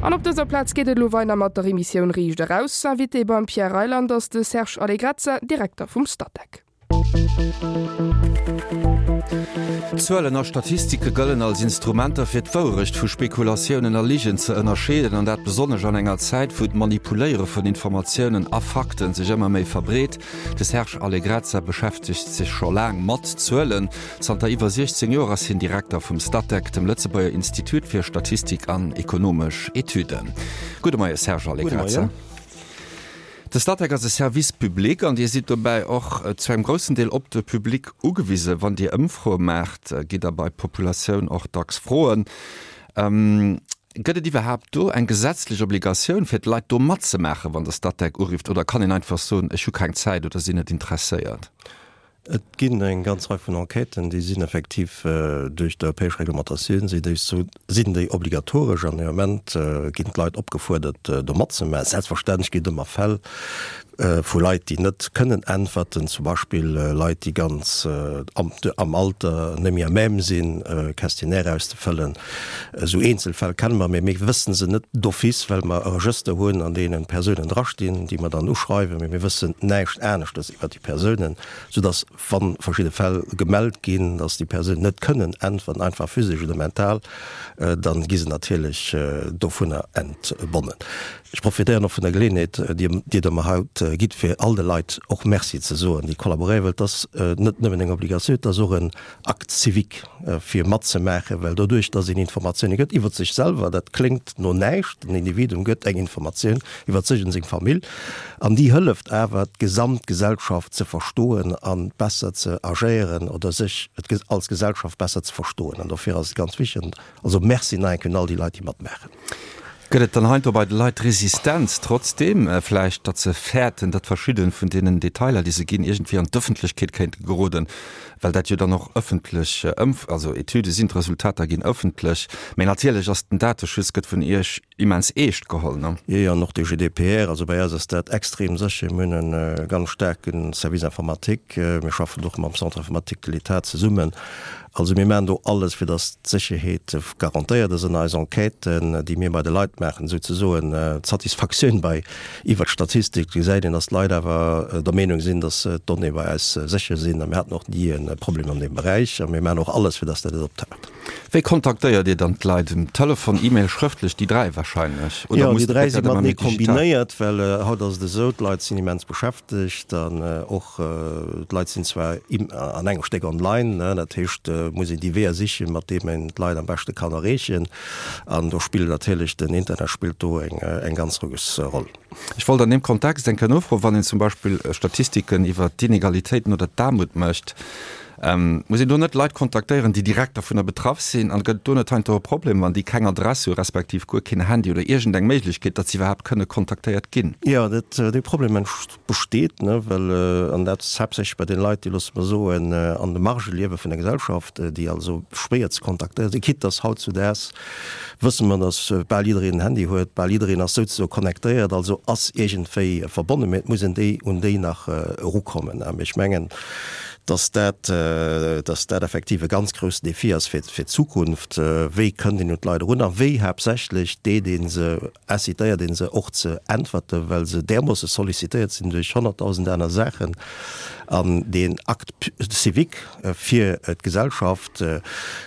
An op dëser Plaz geet et elo weider mat der Emissioun Riicht Eraus. Invité beim Pierre Reyland ass de Serge Allegrezza, Direkter vum Statec. Zuelen a Statistike gëllen als Instrumenter fir d'Wourecht vu Spekulatiounen a Ligen ze ënnerscheeden, an dat besonnesch an enger Zäit, wou d'Manipuléiere vun Informatiounen a Fakten sech ëmmer méi verbreet. De Serge Allegrezza beschäftegt sech scho laang mat Zuelen. Zanter iwwer 16 Joer ass hien Direkter vum Statec, dem Lëtzebuerger Institut fir Statistik an ekonomesch Etüden. Gudde Moie Serge Allegrezza. De Statec ass e Service public an Dir sidd dobäi och zu engem groussen Deel op de Public ugewisen. Wann Dir Ëmfroe maacht, gitt Der bei d'Populatioun och dacks froen. Gëtt et iwwerhaapt do eng gesetzlech Obligatioun fir d'Leit do matzemaachen, wann de Statec urifft, oder kann een einfach soen, ech hu keng Zäit oder sinn net interesséiert? Et ginn eng ganz Rei vun Enquêten, déi sinn effektiv duerch d'europäesch Reglementatioun si déi sinn déi obligatoresch an dee Moment ginn d'Leit opgefuerdert do matzemaachen. Selbstverständlech ginn et ëmmer Fäll vu Leit, déi net kënnen äntwerten, zum Beispill Leit, déi ganz am Alter net méi à même sinn, Questionnaire auszefëllen. Esou Eenzelfäll kenne mer, mee mir wëssen se net d'office, well mer e Regëster hunn, an deenen d'Persounen drastinn, déi mer dann uschreiwen, mee mir wëssen näischt aneschtes iwwer déi Persounen, soudass, wa verschidde Fäll gemellt ginn, dass déi Persounen net kënnen äntweren, einfach physesch oder mental, da gi se natierlech dovunner entbonnen. Ech profitéieren och vun der Geleeënheet, déi Dir der mer haut gitt, fir all de Leit och Merci ze soen, déi kollaboréieren, well et ass net nëmmen eng Obligatioun, et ass och en Acte civique, fir matzemaachen, well doduerch, dass een Informatioune gëtt iwwer sech selwer, dat kléngt no näischt, den Individuum gëtt eng Informatioun iwwer sech an seng Famill, an déi hëlleft awer, d'gesamt Gesellschaft ze verstoen a besser ze agéieren oder sech als Gesellschaft besser ze verstoen. An dofir ass et ganz wichteg. Also Merci nach eng Kéier un all déi Leit, déi matmaachen. Gëtt et dann heiansdo bei de Leit Resistenz trotzdeem vläicht, datt se fäerten, datt verschidde vun deenen Detailer, déi se ginn, iergendwéi an d'Ëffentlechkeet kéinte geroden, well dat jo dann och ëffentlech Ëmf-, also Etüde sinn, d'Resultater ginn ëffentlech. Mä natierlech ass den Dateschutz gëtt vun Iech immens eescht geholl, ne? Jo, jo, an och de GDPR. Also bei eis ass dat extrem sécher. Mir hunn e ganz staarke Service informatique. Mir schaffen och mam Centre informatique de l'État zesummen. Also mir maachen do alles, fir datt d'Sécherheet garantéiert ass an eis Enquêten, déi mir bei de Leit maachen, souzesoen d'Satisfaktioun bei iwwert d'Statistik gesäit een, datt d'Leit awer der Meenung sinn, datt d'Donnéeë bei eis sécher sinn. A mir haten och ni e Problem an deem Beräich a mir maachen och alles, fir datt dat net optaucht. Wéi kontaktéiert Dir dann d'Leit? Um Telefon, E-Mail, schrëftlech? Déi 3 wahrscheinlech, oder Jo, déi 3 si matenee kombinéiert, well haut ass et esou, d'Leit sinn immens beschäftegt an och D'Leit sinn zwar an engem Stéck online, dat heescht, et muss een déi Weeër sichen, mat deem een d'Leit am beschte kann erreechen. An do spillt natierlech den Internet spillt do eng ganz grouss Roll. Ech wollt an deem Kontext eng Kéier nofroen, Wann een zum Beispill Statistiken iwwer d'Inegalitéiten oder d'Aarmut mécht, muss een do net Leit kontaktéieren, déi direkt dovunner betraff sinn? An gëtt et do net heiansdo e Problem, wann déi keng Adress hu respektiv guer keen Handy oder iergendeng Méiglechkeet, datt se iwwerhaapt kënne kontaktéiert ginn? Jo, dat, dee Problem besteet, ne, well, an dat ass haaptsächlech bei den Leit, déi, loosse mer soen, an de Margë liewe vun der Gesellschaft, déi also schwéier ze kontaktéieren sinn, quitte dass hautzudaags wësse mer, dass bal jiddereen en Handy huet, bal jiddereen ass souzesoe connectéiert, also ass iergendwéi verbonnen, mä et muss een déi, un déi nach erukommen. Mä ech mengen, dass dat, dass dat effektiv e ganz groussen Défi ass fir, fir d'Zukunft, Wéi kënnt een un d'Leit erun a wéi haaptsächlech deet ee se incitéiert een se och ze äntwerten, well se därmoosse sollicitéiert sinn duerch 100.000 aner Saachen. An deen Acte civique fir d'Gesellschaft,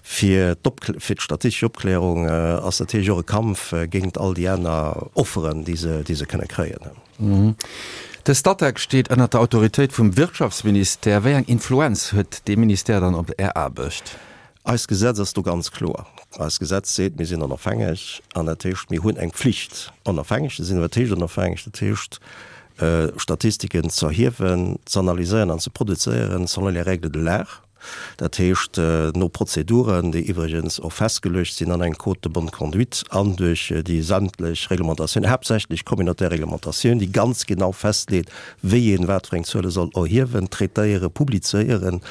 fir d'statistesch Opklärung ass natierlech och e Kampf géint all déi aner Offeren, déi se, déi se kënne kréien. De Statec steet ënnert der Autoritéit vum Wirtschaftsministère. Wéi eng Influenz huet dee Ministère dann op Är Aarbecht? Eist Gesetz ass do ganz kloer. Eist Gesetz seet, mir sinn onofhängeg an dat heescht, mir hunn eng Pflicht, onofhängeg ze sinn. Wat heescht onofhängeg? Dat heescht, Statistiken ze erhiewen, ze analyséieren an ze produzéieren selon les règles de l'art, dat heescht no Prozeduren, déi iwwregens och festgeluecht sinn an engem Code de bonne conduite an duerch déi sämtlech Reglementatioun, haaptsächlech communautaire Reglementatioun, déi ganz genau festleet, wéi een wat fir eng Zuele soll erhiewen, traitéieren, publizéieren.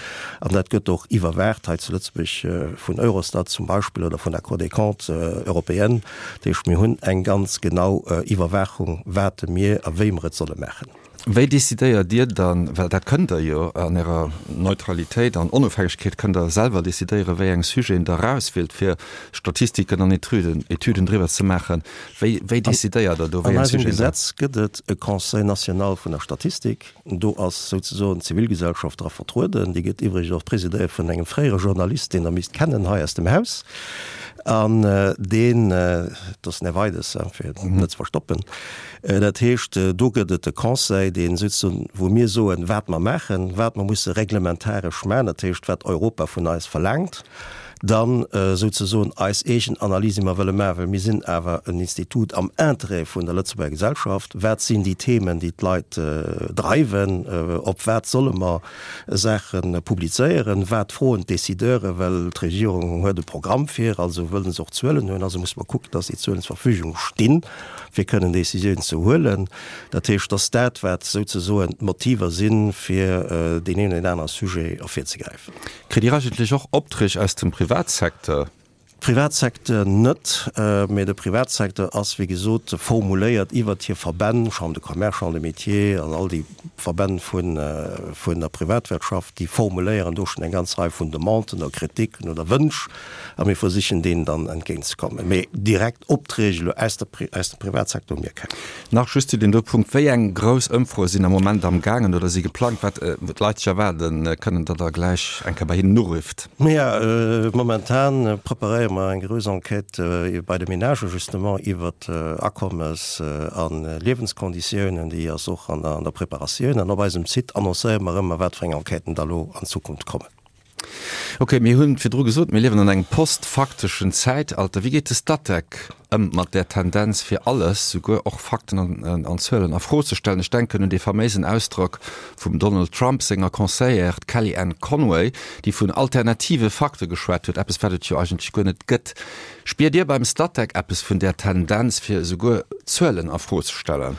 An dat gëtt och iwwerwaacht hei zu Lëtzebuerg vun Eurostat zum Beispill oder vun der Cour des comptes européenne. Dat heescht, mir hunn eng ganz genau Iwwerwaachung, wat mir a wéi mer et solle maachen. Wéi decidéiert Dir dann, well dat kënnt Der jo an Ärer Neutralitéit an Onofhängegkeet kënnt Der selwer decidéieren, wéi eng Sujeten Der erauswielt, fir Statistiken an Etüden, Etüden driwwer ze maachen. Wéi, wéi decidéiert Der do, wéi eng Sujeten Der. An eisem Gesetz gëtt et e Conseil national vun der Statistik. Do ass souzesoen d'Zivilgesellschaft dra vertrueden. Déi gëtt iwwregens och presidéiert vun engem fréiere Journalist, deen Der misst kennen hei aus dem Haus, an deen, dat ass den Här Weides, fir et net ze verstoppen. Dat heescht, do gëtt et e Conseil, dee souzesoen, wou mir soen, wat mer maachen, wat mer musse reglementaresch maachen, dat heescht, wat Europa vun eis verlaangt, dann souzesoen eis eegen Analys, déi mer wëlle maachen, well mir sinn awer en Institut am Interêt vun der Lëtzebuerger Gesellschaft. Wat sinn déi Themen, déi d'Leit dreiwen? Op wat solle mer Saache publizéieren? Wat froen d'Décideuren? Well d'Regierung huet e Programm vir, also wëlle se och Zuelen hunn, also musse mer kucken, dass déi Zuelen zur Verfügung stinn. fir kënnen Décisiounen ze huelen. Dat heescht, dass dat, wat souzesoen d'Motiver sinn, fir deen een oder deen anere Sujet ervirzegräifen. Kritt Dir eigentlech och Opträg aus dem Privatsecteur? Privatsecteur net, mä de Privatsecteur ass, wéi gesot, formuléiert iwwert hir Verbänn, Chambre de Commerce, Chambre des Métiers an all déi Verbänn vun der Privatwirtschaft, déi formuléieren do schonn eng ganz Rei vun Demanden oder Kritiken oder Wënsch a mir versichen deenen dann entgéintzekommen. Mä direkt Opträg elo aus der, aus dem Privatsecteur hu mir keng. Nach just zu deem do Punkt, Wéi eng grouss Ëmfroe sinn am Moment am gaangen oder si geplangt, wat d'Leit sech erwaarde kënnen, datt Der gläich eng Kéier bei hinnen urifft? Naja, momentan preparéiere mer eng grouss Enquête bei de Ménagen justement iwwert Akommes a Liewenskonditiounen. Déi ass och an der Preparatioun. An op eisem Site annoncéiere mer ëmmer, wat fir eng Enquêten da lo an Zukunft kommen. Ok, mir hunn virdru gesot, mir liewen an engem postfakteschen Zäitalter. Wéi geet de Statec ëm mat där Tendenz, fir alles, souguer och Fakten an Zuelen a Fro ze stellen? Ech denken un dee faméisen Ausdrock vum Donald Trump senger Conseillère, d'Kellyanne Conway, déi vun alternative Fakte geschwat huet, eppes wat et jo eigentlech guer net gëtt. Spiert Dir beim Statec eppes vun där Tendenz, fir esouguer Zuelen a Fro ze stellen?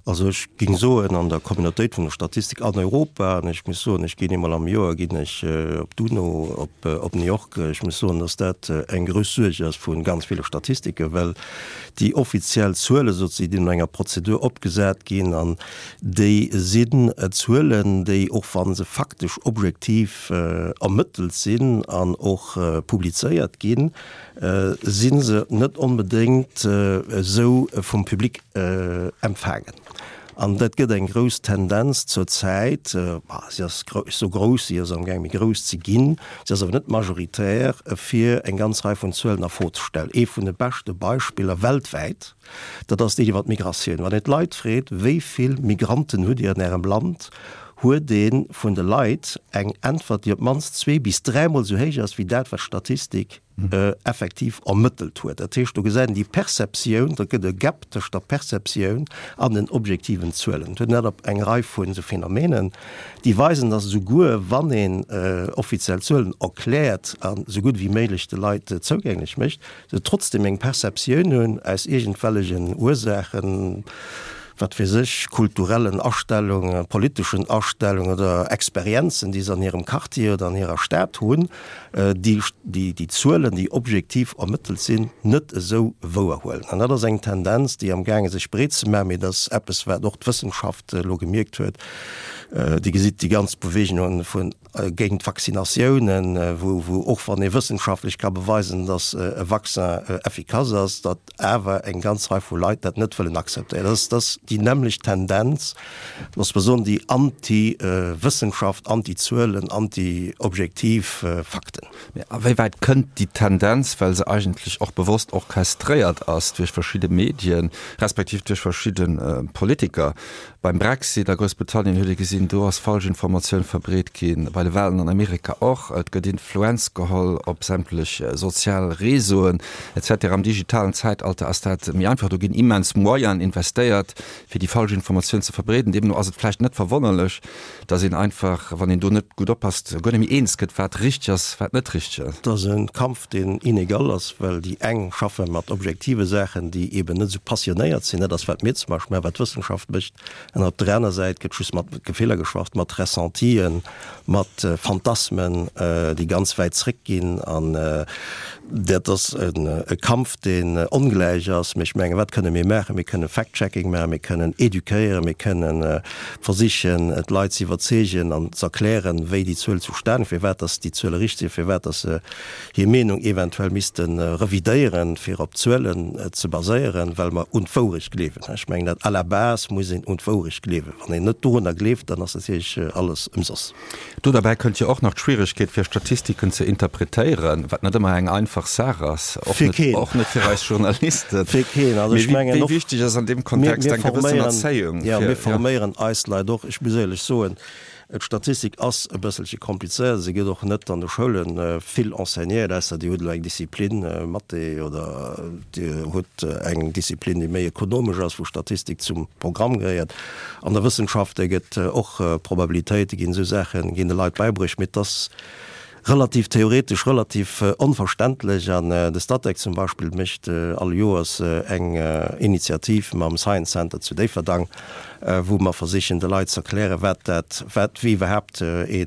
Also ech géing soen, an der Communautéit vun der Statistik an Europa, an ech muss soen, ech ginn eemol am Joer ginn ech op d'UNO op op New York, ech muss soen, datt dat eng grouss Suerg ass vu ganz ville Statistiken, well déi offiziell Zuele sozusagen, déi no enger Prozedur opgesat ginn, an déi sinn Zuelen, déi, och wa se faktesch objektiv ermëttelt sinn an och publizéiert ginn, si se net onbedéngt esou vum Public empfaangen. An dat gëtt eng grouss Tendenz zur Zäit, si ass sou grouss, si ass amgaang méi grouss ze ginn, si ass awer net majoritär, fir eng ganz Rei vun Zuelen a Fro ze stellen. Ee vun de beschte Beispiller weltwäit, dat ass deen iwwer d'Migratioun. Wann een d'Leit freet, wéi vill Migranten hutt Dir an Ärem Land, huet ee vun de Leit eng Äntwert, déi op d'mannst zwee bis dräimol esou héich ass wéi dat, wat d'Statistik effektiv ermëttelt huet. Dat heescht, do gesäit een déi Perceptioun, da gëtt e Gap tëscht der Perceptioun an den objektiven Zuelen. Et huet een dat op eng Rei vun esou Phänomenen, déi weisen, datt esouguer wann een offiziell Zuelen erkläert a sou gutt ewéi méiglech de Leit zougänglech mécht, se trotzdem eng Perceptioun hunn aus iergendwellegen Ursaachen, wat weess ech, kulturellen Astellungen, politeschen Astellungen oder Experienzen, déi se an hirem Quartier oder an hirer Stad hunn, déi déi Zuelen, déi objektiv ermëttelt sinn, net esou wouer huelen. An dat ass eng Tendenz, déi amgaange sech breet ze maachen, mee dat ass eppes, wat och d'Wëssenschaft elo gemierkt huet. Dir gesitt déi ganz Beweegungen vun géint d'Vaccinatiounen, wou och wann ee wëssenschaftlech ka beweisen, datt e Vaccin effikass ass, datt awer eng ganz Rei vu Leit dat net wëllen akzeptéieren. Dat ass déi nämmlecht Tendenz, loosse mer soen, déi anti-Wëssenschaft, anti-Zuelen, anti-objektiv Fakten. Mä a wéi wäit kënnt déi Tendenz, well se eigentlech och bewosst orchestréiert ass duerch verschidde Medien, respektiv duerch verschidde Politiker, Beim Brexit a Groussbritannien huet ee gesinn, do ass falsch Informatioun verbreet ginn, bei de Walen an Amerika och. Et gëtt Influenz geholl op sämtlech sozial Réseauen etc. Am digitalen Zäitalter ass dat méi einfach, do ginn immens Moyenen investéiert, fir déi falsch Informatioun ze verbreeden. Deemno ass et vläicht net verwonnerlech, dass een einfach, wann een do net gutt oppasst, guer net méi eens gëtt, wat richteg ass, wat net richteg ass. Et ass e Kampf, deen inegal ass, well déi eng schaffe mat objektive Saachen, déi eeben net esou passionéiert sinn, dat ass, wat mir zum Beispill maachen, wat d'Wëssenschaft mécht, an op der aner Säit gëtt just mat Gefiller geschafft, mat Ressentien, mat. mat Phantasmen, déi ganz wäit zréckginn. An dat ass e Kampf, deen ongläich ass. Mee ech mengen, wat kënne mir maachen? Mir kënnen Fact-checking maachen, mir kënnen eduquéieren, mir kënnen versichen, d'Leit ze iwwerzeegen an ze erklären, wéi déi Zuel zustan, firwat dass déi Zuele richteg sinn, firwat dass se hir Meenung eventuell misste revidéieren, fir op Zuelen ze baséieren, well mer un d'Wourecht gleewen. Ech mengen dat à la base muss een un d'Wourecht gleewen. Wann een net dorunner gleeft, dann ass natierlech alles ëmsoss. Do derbäi kënnt jo och nach d'Schwieregkeet, fir Statistiken ze interpretéieren, wat net ëmmer eng einfach Saach ass, och Fir net, och net fir eis Journalisten. Fir keen. Also Mee ech mengen wéi och, wichteg ass an deem mir, Kontext mir eng gewëssen forméieren, Erzéiung jo, fir, mir jo. forméieren eis Leit och. Ech muss éierlech soen, D'Statistik ass e bësselche komplizéiert. Se gëtt och net an de Schoule vill enseignéiert, ausser Dir hutt elo eng Disziplin, Mathé, oder Dir hutt eng Disziplin, déi méi ekonomesch ass, wou Statistik zum Programm gehéiert. An der Wëssenschafte gëtt och Probabilitéite ginn, esou Saache ginn de Leit bäibruecht, mee et ass relativ theoretesch, relativ onverständlech. An de Statec zum Beispill mécht all Joers eng Initiativ mam Science Center zu Déifferdang, wou mer versichen de Leit ze erklären, wat dat, wat, wéi iwwerhaapt ee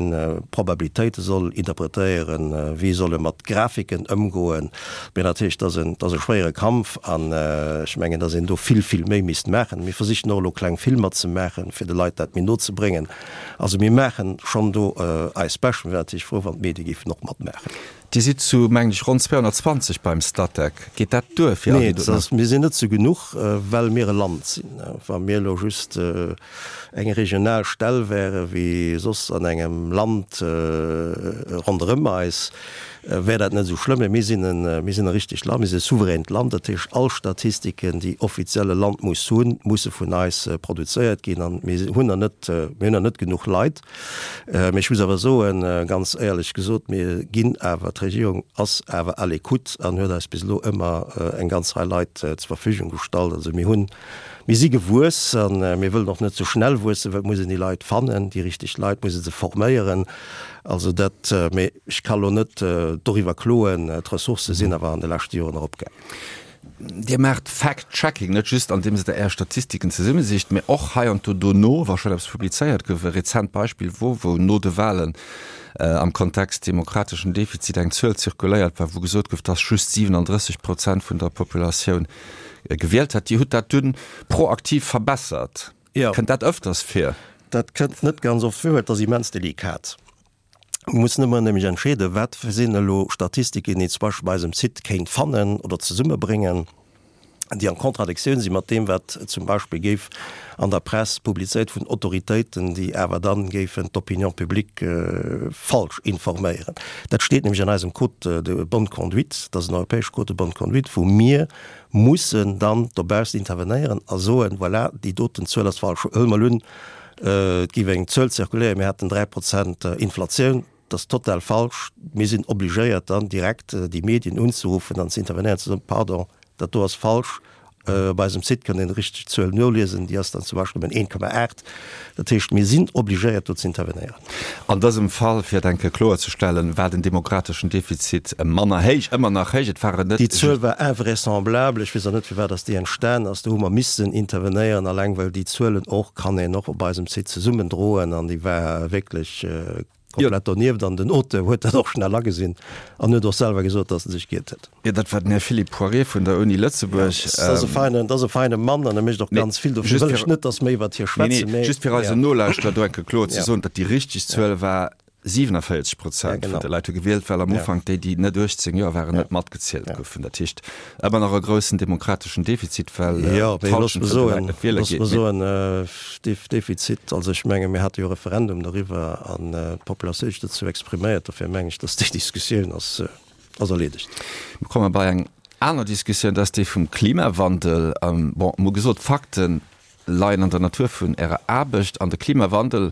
Probabilitéite soll interpretéieren, wéi soll e mat Grafiken ëmgoen. Mee natierlech, dat ass en, dat ass e schwéiere Kampf an ech mengen, datt een do vill, vill méi misst maachen. Mir versichen och elo kleng Filmer ze maachen, fir de Leit dat méi no ze bréngen. Also mir maachen schonn do eist Bescht. Mir wären natierlech frou, wann d'Medie géifen och matmaachen. Dir sidd zu, mengen ech, ronn 220 beim Statec. Geet dat duer fir all Nee, déi doten? dat ass, mir sinn net zu genuch, well mir e Land sinn. Wa mir elo just eng regional Stell wäre wéi soss an engem Land ronderëm eis, wär dat net esou schlëmm. Mee mir sinn e, mir sinn e richtegt Land, mir sinn e souveränt Land. Dat heescht, all Statistiken, déi offiziell e Land muss hunn, musse vun eis produzéiert ginn. An mir hunn der net, mir hunn der net genuch Leit. Mee ech muss awer soen, ganz éierlech gesot, mir ginn awer, d'Regierung ass awer à l'écoute an huet eis bis elo ëmmer eng ganz Rei Leit zur Verfügung gestallt. Also mir hunn, mir si gewuess a mir wëllen och net ze schnell wuessen, well et muss een déi Leit fannen, déi richteg Leit, muss ee se forméieren. Also dat, mee ech ka lo net doriwwer kloen, d'Ressourcë sinn awer an de leschte Joren eropgaangen. Dir maacht Fact-Checking net just andeems Der Är Statistiken zesummesicht, mee och hei an do dono, wa schonn eppes publizéiert gouf. E rezent Beispill wor, wou no de Wahlen am Kontext demokrateschen Defizit eng Zuel zirkuléiert war, wou gesot gouf, dass just 37 Prozent vun der Populatioun gewielt hätt. Dir hutt dat dunn proaktiv verbessert. Kënnt dat ëfters vir? Dat kënnt net ganz oft vir, well et ass immens delikat. Mir mussen ëmmer nämlech entscheeden, wat sinn elo Statistiken, déi een zum Beispill bei eisem Site kéint fannen oder zesummebréngen, déi an Contradictioun si mat deem, wat zum Beispill géif an der Press publizéiert vun Autoritéiten, déi awer dann géifen d'Opinion publique falsch informéieren. Dat steet nämlech an eisem Code de bonne conduite, dat ass en europäesche Code de bonne conduite, wou mir mussen dann dobaussen intervenéieren a soen, voilà, déi doten Zuel ass falsch. Huele mer elo un, Et géif eng Zuel zirkuléieren, mir hätten 3 Prozent Inflatioun. Dat ass total falsch. Mir sinn obligéiert dann direkt déi Medien unzeruffen an ze intervenéieren, ze soen, Pardon, dat do ass falsch. Op eisem Site kënnt een déi richteg Zuel noliesen, déi ass dann zum Beispill nëmmen 1,8. Dat heescht, mir sinn obligéiert do ze intervenéieren. An dësem Fall, fir et eng Kéier kloerzestellen, war den demokrateschen Defizit manner héich, ëmmer nach héich. Et waren net. Déi Zuel war invraisemblable. Ech weess och net, firwat dass déi entstan ass. Do hu mer missen intervenéieren, alleng well déi Zuelen och, kann een och op eisem Site zesummendroen, an déi war wierklech komplett donieft. An den Auteur huet dat och schnell agesinn an huet och selwer gesot, dass en sech giert huet. Jo, dat war den Här Philippe Poirier vun der Uni Lëtzebuerg. Dat ass e feinen, dat ass e feine Mann an e mécht och ganz vill. Dofir wëll ech net, dass méi iwwert hie schwätzen. Nee, nee, just fir eisen Nolauschterer do eng Kéier kloer ze soen, datt déi richteg Zuel war 47 Prozent vun de Leit hu gewielt, well am Ufank déi, déi net 18 Joer waren, net matgezielt goufen. Dat heescht, ëmmer nach e groussen demokrateschen Defizit, well d'Hallschent vun de Leit net wiele geet. Looss mer soen, Defizit, also ech menge mir hate jo e Referendum doriwwer an d'Populatioun huet sech dozou expriméiert. Dofir meng ech, datt déi Diskussioun ass. Ass erleedegt. Mir komme bei eng aner Diskussioun, dat ass déi vum Klimawandel. Bon, emol gesot, d'Fakte leien an der Natur vun Ärer Aarbecht an de Klimawandel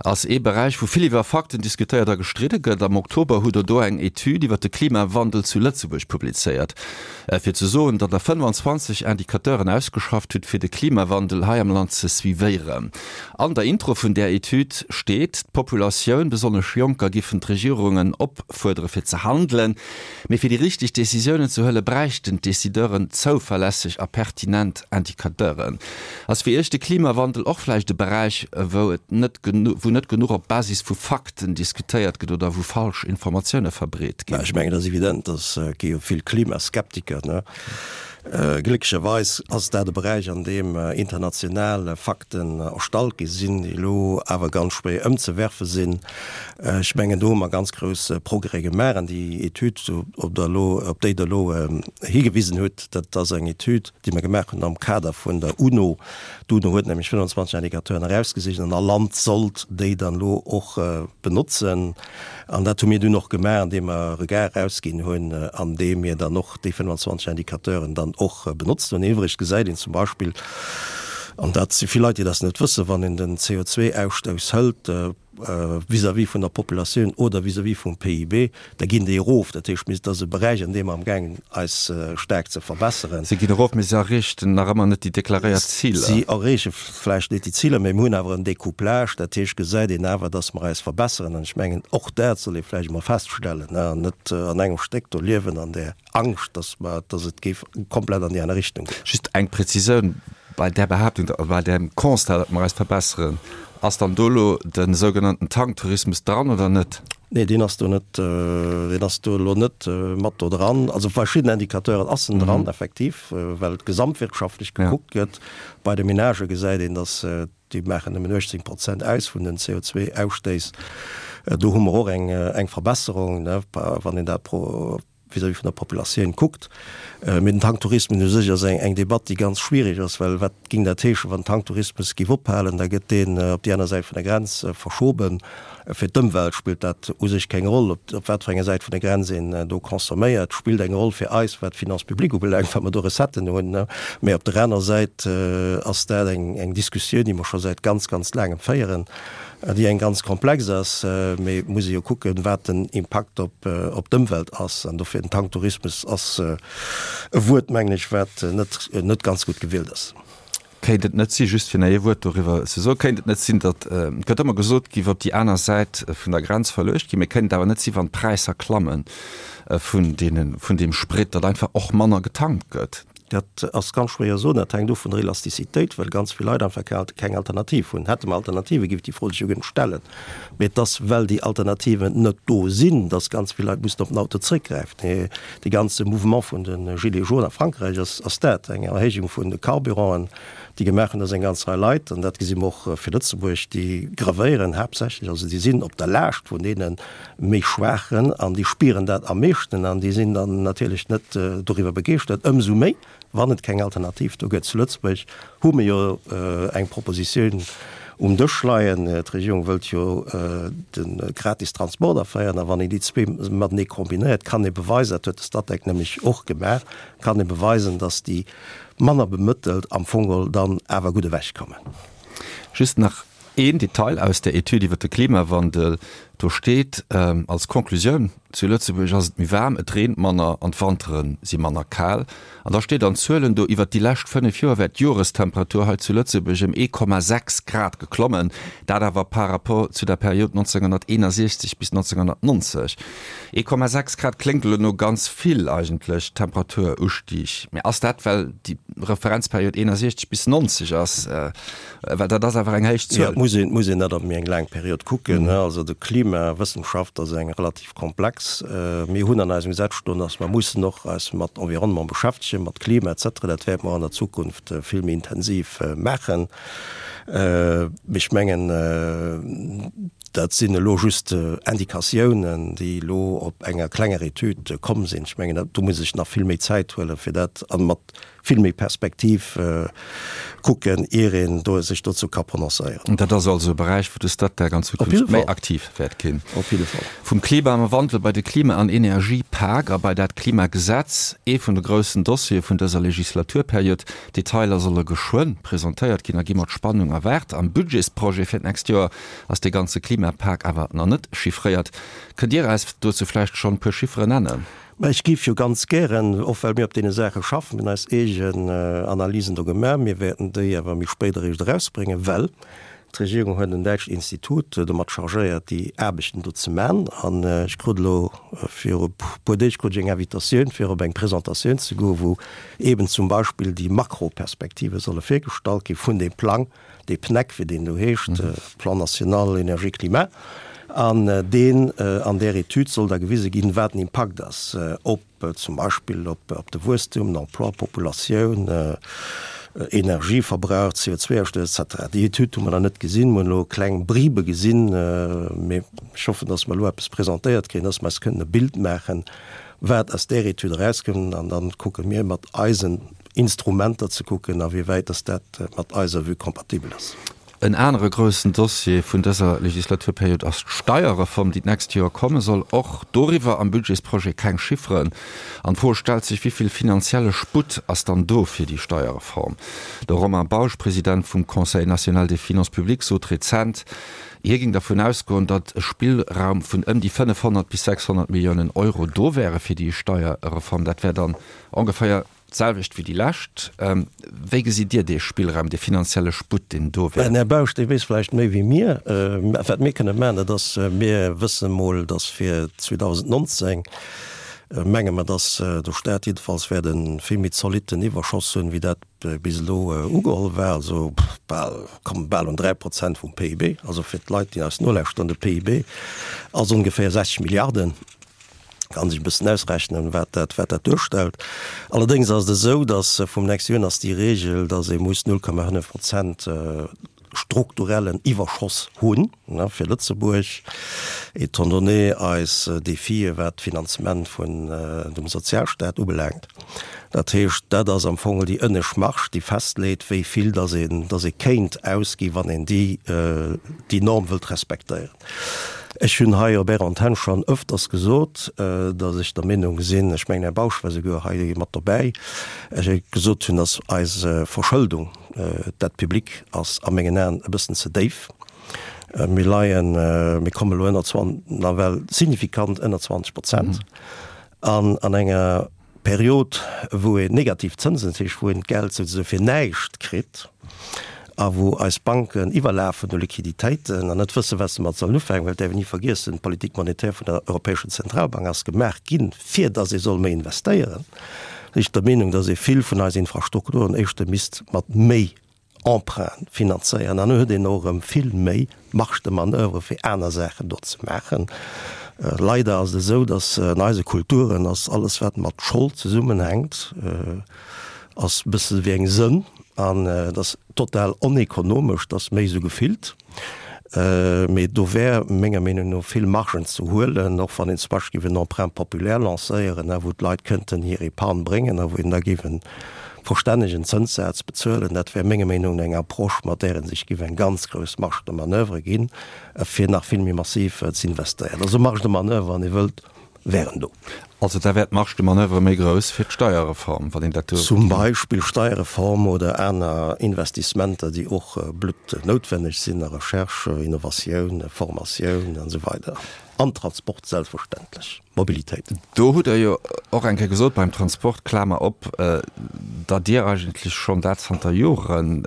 ass ee Beräich, wou vill iwwer Fakten diskutéiert a gestridde gëtt. Am Oktober hutt Der do eng Etüd iwwer de Klimawandel zu Lëtzebuerg publizéiert, fir ze soen, datt Der 25 Indicateuren ausgeschafft hutt, fir de Klimawandel hei am Land ze suivéieren. An der Intro vun där Etüd steet, d'Populatioun, besonnesch Jonker, giffen d'Regierungen op. Fuerdere fir ze handelen, mee fir déi richteg Decisiounen ze huele bräichten d'Decideuren zouverlässeg a pertinent Indicateuren. Ass fir Iech de Klimawandel och vläicht e Beräich, wou et net wou. wou net genuch op Basis vu Fakten diskutéiert gëtt oder wou falsch Informatioune verbreet ginn? Ech mengen, et ass evident, dass et gi jo vill Klimaskeptiker, ne? Glécklecherweis ass dat e Beräich, an deem international Fakten erstallt gi sinn, déi elo awer ganz schwéier ëmzewerfe sinn. Ech mengen, do hu mer ganz grouss Progrès gemaach. An déi Etüd, op der elo, op déi Der elo higewisen hutt, dat ass eng Etüd, déi mer gemaach hunn am Kader vun der UNO. D'UNO huet nämlech 25 Indicateuren erausgesicht an all Land sollt déi dann elo och benotzen. An dat hu mir dunn och gemaach, andeem mer e Regard erausginn hunn, an deem mir dann och déi 25 Indicateuren dann och benotzt hunn. Iwwregens gesäit een zum Beispill, an dat si vill Leit, déi dat net wëssen, wann een den CO2-Ausstouss hëlt vis-à-vis vun der Populatioun oder vis-à-vis vum PIB, Da ginn déi erof. Dat heescht, mir, dat ass e Beräich, an deem mer amgaangen eis staark ze verbesseren. Si ginn erof, mee se erreechten nach ëmmer net déi deklaréiert Ziler. Si erreeche vläicht net déi Ziler, mee mir hunn awer en Découplage. Dat heescht, gesäit een awer, dass mer eis verbesseren. An ech mengen, och dat soll ee vläicht emol feststellen an net an engem Stéck do liewen an där Angscht, dass mer, dass et géif komplett an déi aner Richtung goen. Just eng Prezisioun bei där Behaaptung, bei deem Constat, datt mer eis verbesseren. Ass dann do elo de sougenannten Tanktourismus dran oder net? Nee, deen ass do net, deen ass do elo net mat do dran. Also verschidden Indicateuren ass en dran, effektiv, well et gesamtwirtschaftlech gekuckt gëtt. Bei de Menagë gesäit een, datt déi maachen nëmmen 18 Prozent aus vun den CO2-Ausstéiss. Do hu mer och eng Verbesserung, wann een dat pro vis-à-vis vun der Populatioun kuckt. Mee den Tanktourismus u sech ass eng Debatt, déi ganz schwierig ass, well wat géing dat heeschen, wann den Tanktourismus géif ophalen? Da gëtt deen op déi aner Säit vun der Grenz verschoben. Fir d'Ëmwelt spillt dat u sech keng Roll, op wat fir enger Säit vun der Grenz een do consomméiert. Spillt eng Roll fir eis, wat d'Finances publiques ubelaangt, well mer do Recetten hunn. Mee op der aner Säit ass dat eng Diskussioun, déi mer scho säit ganz, ganz laangem féieren. Déi eng ganz komplex ass, mee et muss ee jo kucken, wat den Impakt op op d'Ëmwelt ass. An dofir den Tanktourismus ass e Wuert, mengen ech, wat net net ganz gutt gewielt ass. Kéint et net si, just fir nach ee Wuert doriwwer ze soen, kéint et net sinn, datt, et gëtt ëmmer gesot, géif op déi aner Säit vun der Grenz verluecht ginn, mee kéint et awer net si wann d'Präisser klamme vun deene vun deem Sprit, datt einfach och manner getankt gëtt? Dat ass ganz schwéier soen. Dat hänkt of vun der Elastizitéit, well ganz vill Leit einfach keng Alternativ hunn. Hätte mer Alternative géif déi Fro sech jo guer net stellen. Mee et ass, well déi Alternativen net do sinn, datt ganz vill Leit mussen op den Auto zréckgräifen. Dee ganze Mouvement vun de Gilets jaunes a Frankräich ass ass dat, eng Erhéijung vun de Carburanten, déi gemaach hunn, datt eng ganz Rei Leit, an dat gesi mer och fir Lëtzebuerg, déi grevéieren haaptsächlech, also déi sinn op der Laascht vun deene méi Schwaachen an déi spieren dat am meeschten an déi sinn dann natierlech net doriwwer begeeschtert. Ëmsou méi, wann et keng Alternativ do gëtt. Zu Lëtzebuerg hu mir jo eng Propositioun um Dësch leien. D'Regierung wëllt jo de gratis Transport aféieren a wann een déi zwee matenee kombinéiert, kann ee beweisen, dat huet de Statec nämlech och gemaach, kann ee beweisen, datt déi manner Bemëttelt am Fong geholl dann awer gutt ewechkommen. Just nach Een Detail aus der Etüd iwwer de Klimawandel, do steet als Conclusioun, Zu Lëtzebuerg ass et méi waarm, et reent manner an d'Wantere si manner kal. An da steet an Zuelen do, Iwwer déi lescht 5 Joer wär d'Jorestemperatur hei zu Lëtzebuerg ëm 1,6 Grad geklommen, dat awer par rapport zu der Period 1961 bis 1990. 1,6 Grad kléngt elo no ganz vill eigentlech, Temperaturustieg. Mä ass dat, well déi Referenzperiod 61 bis 90 ass? Well dat ass awer eng héich Zuel. Jo, et muss een, muss een dat op méi eng laang Period kucken. Also de Klimawëssenschaft ass eng relativ komplex. Mir hunn an eisem Gesetz stoen, datt mer mussen och eis mat Environnement beschäftegen, mat Klima et cetera. Dat wäerte mer an der Zukunft vill méi intensiv maachen. Mee ech mengen, dat sinn elo just Indikatiounen, déi elo op enger klenger Etüd komm sinn. Ech mengen, do muss ee sech nach vill méi Zäit huelen, fir dat a mat vill méi Perspektiv kucken, ier een do sech dozou ka prononcéieren. Dat ass also e Beräich, wou de Statec an Zukunft méi aktiv wäert ginn. Op jidde Fall. Vum Klimawandel bei de Klima an Energiepak a bei dat Klimagesetz, ee vun de groussen Dossiere vun dëser Legislaturperiod. D'Detailer solle geschwënn presentéiert ginn a gi mat Spannung erwaart. Am Budgetsprojet fir d'nächst Joer ass dee ganze Klimapak awer nach net chiffréiert. Kënnt Dir eis dozou vläicht schonn e puer Chifferen nennen? Mä ech géif jo ganz gären, och well mir op deene Saache schaffen, mir hunn eis eegen Analysen do gemaach, mir wäerten déi awer méi spéit eréischt erausbréngen, well. D'Regierung huet en däitscht Institut domat chargéiert, déi Aarbechten do ze man. An ech krut elo viru puer Deeg krut ech eng Invitatioun, fir op eng Presentatioun ze goen, wou eeben zum Beispill déi Makroperspektive solle virgestallt gi vun deem Plang, dee PNEC, wéi deen do heescht, Plan national énergie climat. An deen, an där Etüd soll da gewise ginn, wat den Impakt ass op zum Beispill op de Wuesstum, den Emploi, d'Populatioun, Energieverbrauch, CO2-Ausstouss etc. Déi Etüd hu mer nach net gesinn. Mer hunn elo kleng Bribe gesinn, mee ech hoffen, datt mer elo eppes presentéiert kréien, datt mer eis kënnen e Bild maachen, wat aus där Etüd erauskënnt. An da kucke mir mat eisen Instrumenter ze kucken, awéiwäit datt dat mat eiser Vue kompatibel ass. En anere groussen Dossier vun dëser Legislaturperiod ass d'Steierreform, déi d'nächst Joer komme soll. Och doriwwer am Budgetsprojet keng Chifferen. An d'Fro stellt sech, Wéi vill finanzielle Sputt ass dann do fir déi Steierreform? De Romain Bausch, President vum Conseil national des finances publiques, sot rezent, hie géing dervun ausgoen, datt e Spillraum vun ëm déi 500 bis 600 Milliounen Euro do wäre fir déi Steierreform. Dat wär dann ongeféier D'selwecht wéi déi lescht. Wéi gesitt Dir dee Spillraum, dee finanzielle Sputt, deen do wär? Den Här Bausch, dee weess vläicht méi wéi mir. Wat mir kënne maachen, dat ass, mir wësse mol, datt fir 2019, menge mer, datt de Stat jiddefalls wäert e vill méi zolitten Iwwerschoss hunn, wéi dat bis elo ugeholl war, also bal, komme bal un 3 Prozent vum PIB. Also fir d'Leit, déi eis nolauschteren, de PIB ass ongeféier 60 Milliarden. Kann sech e bëssen ausrechnen, wat dat, wat dat duerstellt. Allerdéngs ass et esou, datt vum nächste Joer un ass déi Regel, datt ee muss 0,5 Prozent strukturellen Iwwerschoss hunn, ne, fir Lëtzebuerg, étant donné eis Defie wat d'Finanzement vun dem Sozialstaat ubelaangt. Dat heescht, dat ass am Fong déi ënnescht Marge, déi festleet, wéi vill datt een, datt ee kéint ausgi wann een déi, déi Norm wëllt respektéieren. Ech hunn hei op Ärer Antenn schonn ëfters gesot, datt ech der Meenung sinn, ech mengen, Här Bausch war souguer hei mat dobäi, ech gesot hunn, datt eis Verschëldung, d'Dette publique, ass a mengen Aen e bëssen ze déif. Mir leien, mir kommen elo ënner nawell signifikant ënner 20 Prozent an an enger Period, wou een negativ Zënsen, dat heescht wou een d'Geld souzesoe fir näischt kritt a wou eis Banken iwwerlafen u Liquiditéiten an net wëssen, wat se domat sollen ufänken, well et däerf een ni vergiessen, d'Politique monétaire vun der Europäescher Zentralbank ass gemaach ginn, fir datt ee soll méi investéieren, sinn ech der Meenung, datt ee vill vun eisen Infrastrukturen éischter misst mat méi Emprunt finanzéieren an huet een och erëm vill méi Marge de manoeuvre fir aner Saachen do ze maachen. Leider ass et esou, datt an eise Kulturen ass alles wat mat Schold zesummenhänkt, ass e bësse wéi eng Sënn an et ass total onekonomesch, et ass méi esou gefillt. Mee do wär menger Meenung no vill Margen ze huelen, och wann een zum Beispill géif en Emprunt populaire lancéieren, wou d'Leit kënnten hir Epargne bréngen a wou een da géif e verstännegen Zënssaz bezuelen. Dat wär menger Meenung no eng Approche, mat där ee sech géif eng ganz grouss Marge de manoeuvre ginn, fir nach vill méi massiv z'investéieren. Also Marge de manoeuvre, wann ee wëllt, wären do. Also da wär d'Marge de manoeuvre méi grouss fir d'Steierreform, wann een dat do. Zum Beispill Steierreform oder aner Investissementer, déi och bluttnoutwenneg sinn a Recherche, Innovatioun, Formatioun an esou weider. An Transport selbstverständlech, Mobilitéit. Do hutt Der jo och eng Kéier gesot beim Transport, Klamer op, datt Dir eigentlech schonn dat zanter Joren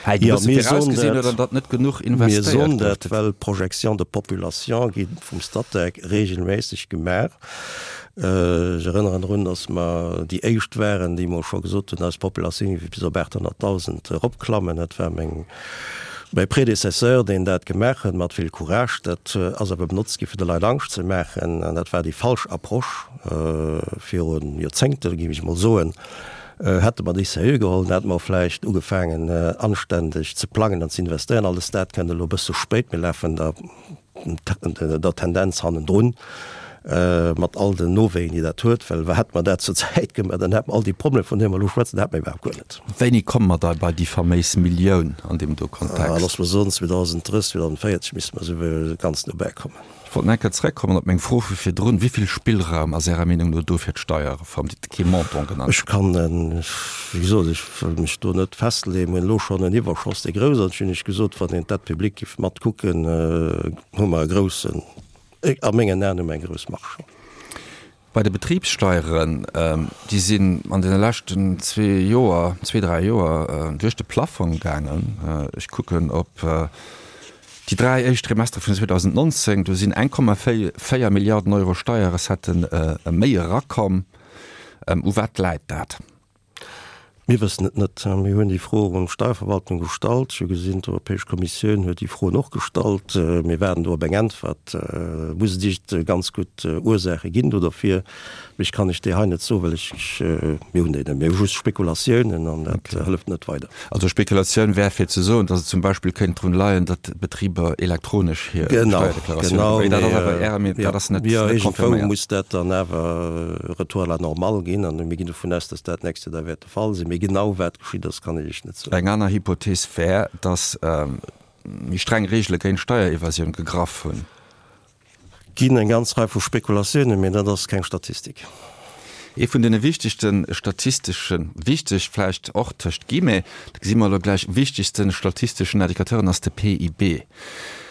hei e bësse virausgesinn hutt an datt net genuch investéiert gëtt. Mir soen dat, well d'Projections de population gi vum Statec regelméisseg gemaach. Ech erënneren drun, datt mer déi éischt waren, déi emol scho gesot hunn, eis Populatioun géif bis op 800.000 eropklammen. Dat war meng, mäi Prédécesseur, deen dat gemaach huet, mat vill Courage. Dat ass awer benotzt gi fir de Leit Angscht ze maachen, an dat war déi falsch Approche viru Joerzéngte, géif ech emol soen. Hätte mer déi seriö geholl, dann hätte mer och vläicht ugefaangen, anständeg ze plangen an ze investéieren. Alles dat kënnt elo e bësse spéit. Mir lafen der der Tendenz hannendrun, mat all den Nowéien, déi dat huet, well hätte mer dat zur Zäit gemaach, dann hätte mer all déi Problemer, vun deene mer elo schwätzen, hätte mer iwwerhaapt guer net. Wéini komme mer da bei déi faméis Millioun an deem do Kontext? Loosse mer soen, 2030, 2040 misste mer esou ganz no bäikommen. Ech wollt nach eng Kéier zrëckkommen op meng Fro vu virdrun. Wéi vill Spillraum ass Ärer Meenung no do fir d'Steierreform? Dir hutt kee Montant genannt. Ech kann, wéi gesot, ech wëll mech do net festleeën. Mir hunn elo schonn en Iwwerschoss, dee grouss ass. Ech hunn lech gesot, wann een d'Dette publique géif matkucken, hu mer e groussen, a mengen Aen hu mer eng grouss Marge. Bei de Betribssteieren, déi sinn an deene leschten zwee Joer, zwee, dräi Joer duerch de Plaffong gaangen. Ech kucken op déi dräi éischt Trimestere vun 2019, do sinn 1,4 Milliarden Euro Steierrecettë méi erakomm. U wat läit dat? Mir wëssen et net. Mir hunn déi Fro un d'Steierverwaltung gestallt. Ech hu gesinn, d'Europäesch Kommissioun huet déi Froen och gestallt. Mir waarden do op eng Äntwert. Et muss et icht ganz gutt Ursaache ginn do derfir. Mee ech kann lech déi hei net soen, well ech, mir hunn déi net. Mir hu just Spekulatiounen an dat hëlleft net weider. Also Spekulatioun wär fir ze soen, datt et zum Beispill kéint drun leien, datt d'Betriber elektronesch hir Steierdeklaratioune maachen. Mee dat ass awer Ärer Meenung, dat ass net confirméiert. Iergendwou muss dat dann awer Retour à la normale ginn an mir ginn dovun aus, datt dat d'nächst Joer da wäert de Fall sinn. Mee genau wat geschitt ass, kann ech Iech net soen. Eng aner Hypothees wär, datt méi streng Reegele géint Steierevasioun gegraff hunn. Ginn eng ganz Rei vu Spekulatiounen, mee dat ass keng Statistik. Ee vun deene wichtegste statisteschen, wichteg vläicht och tëscht Guillemets, dat gesi mer elo gläich, wichtegste statisteschen Indicateuren ass de PIB.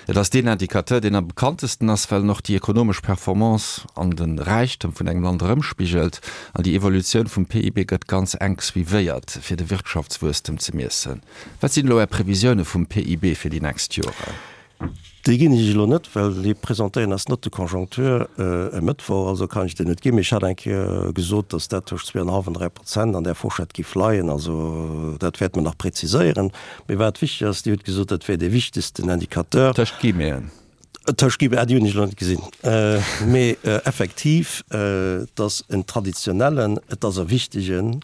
Et ass deen Indicateur, deen am bekanntesten ass, well en och déi ekonomesch Performance an de Räichtem vun engem Land erëmspigelt. An déi Evolutioun vum PIB gëtt ganz enk suivéiert, fir de Wirtschaftswuesstem ze miessen. Wat sinn elo Är Previsioune vum PIB fir déi nächst Joren? Déi ginn ech elo net, well déi presentéieren eis Note de conjoncture e Mëttwoch, also kann ech déi net ginn. Mee ech hat eng Kéier gesot, datt dat tëscht 2,5 an 3 Prozent an där Fourchette géif leien. Also dat wäerte mer nach präziséieren. Mee wat wichteg ass, Dir hutt gesot, dat wär dee wichtegsten Indicateur. Tëscht Guillemeten. Tëscht Guillemeten, ah déi hunn ech elo net gesinn. Mee effektiv, et ass en traditionellen, et ass e wichtegen,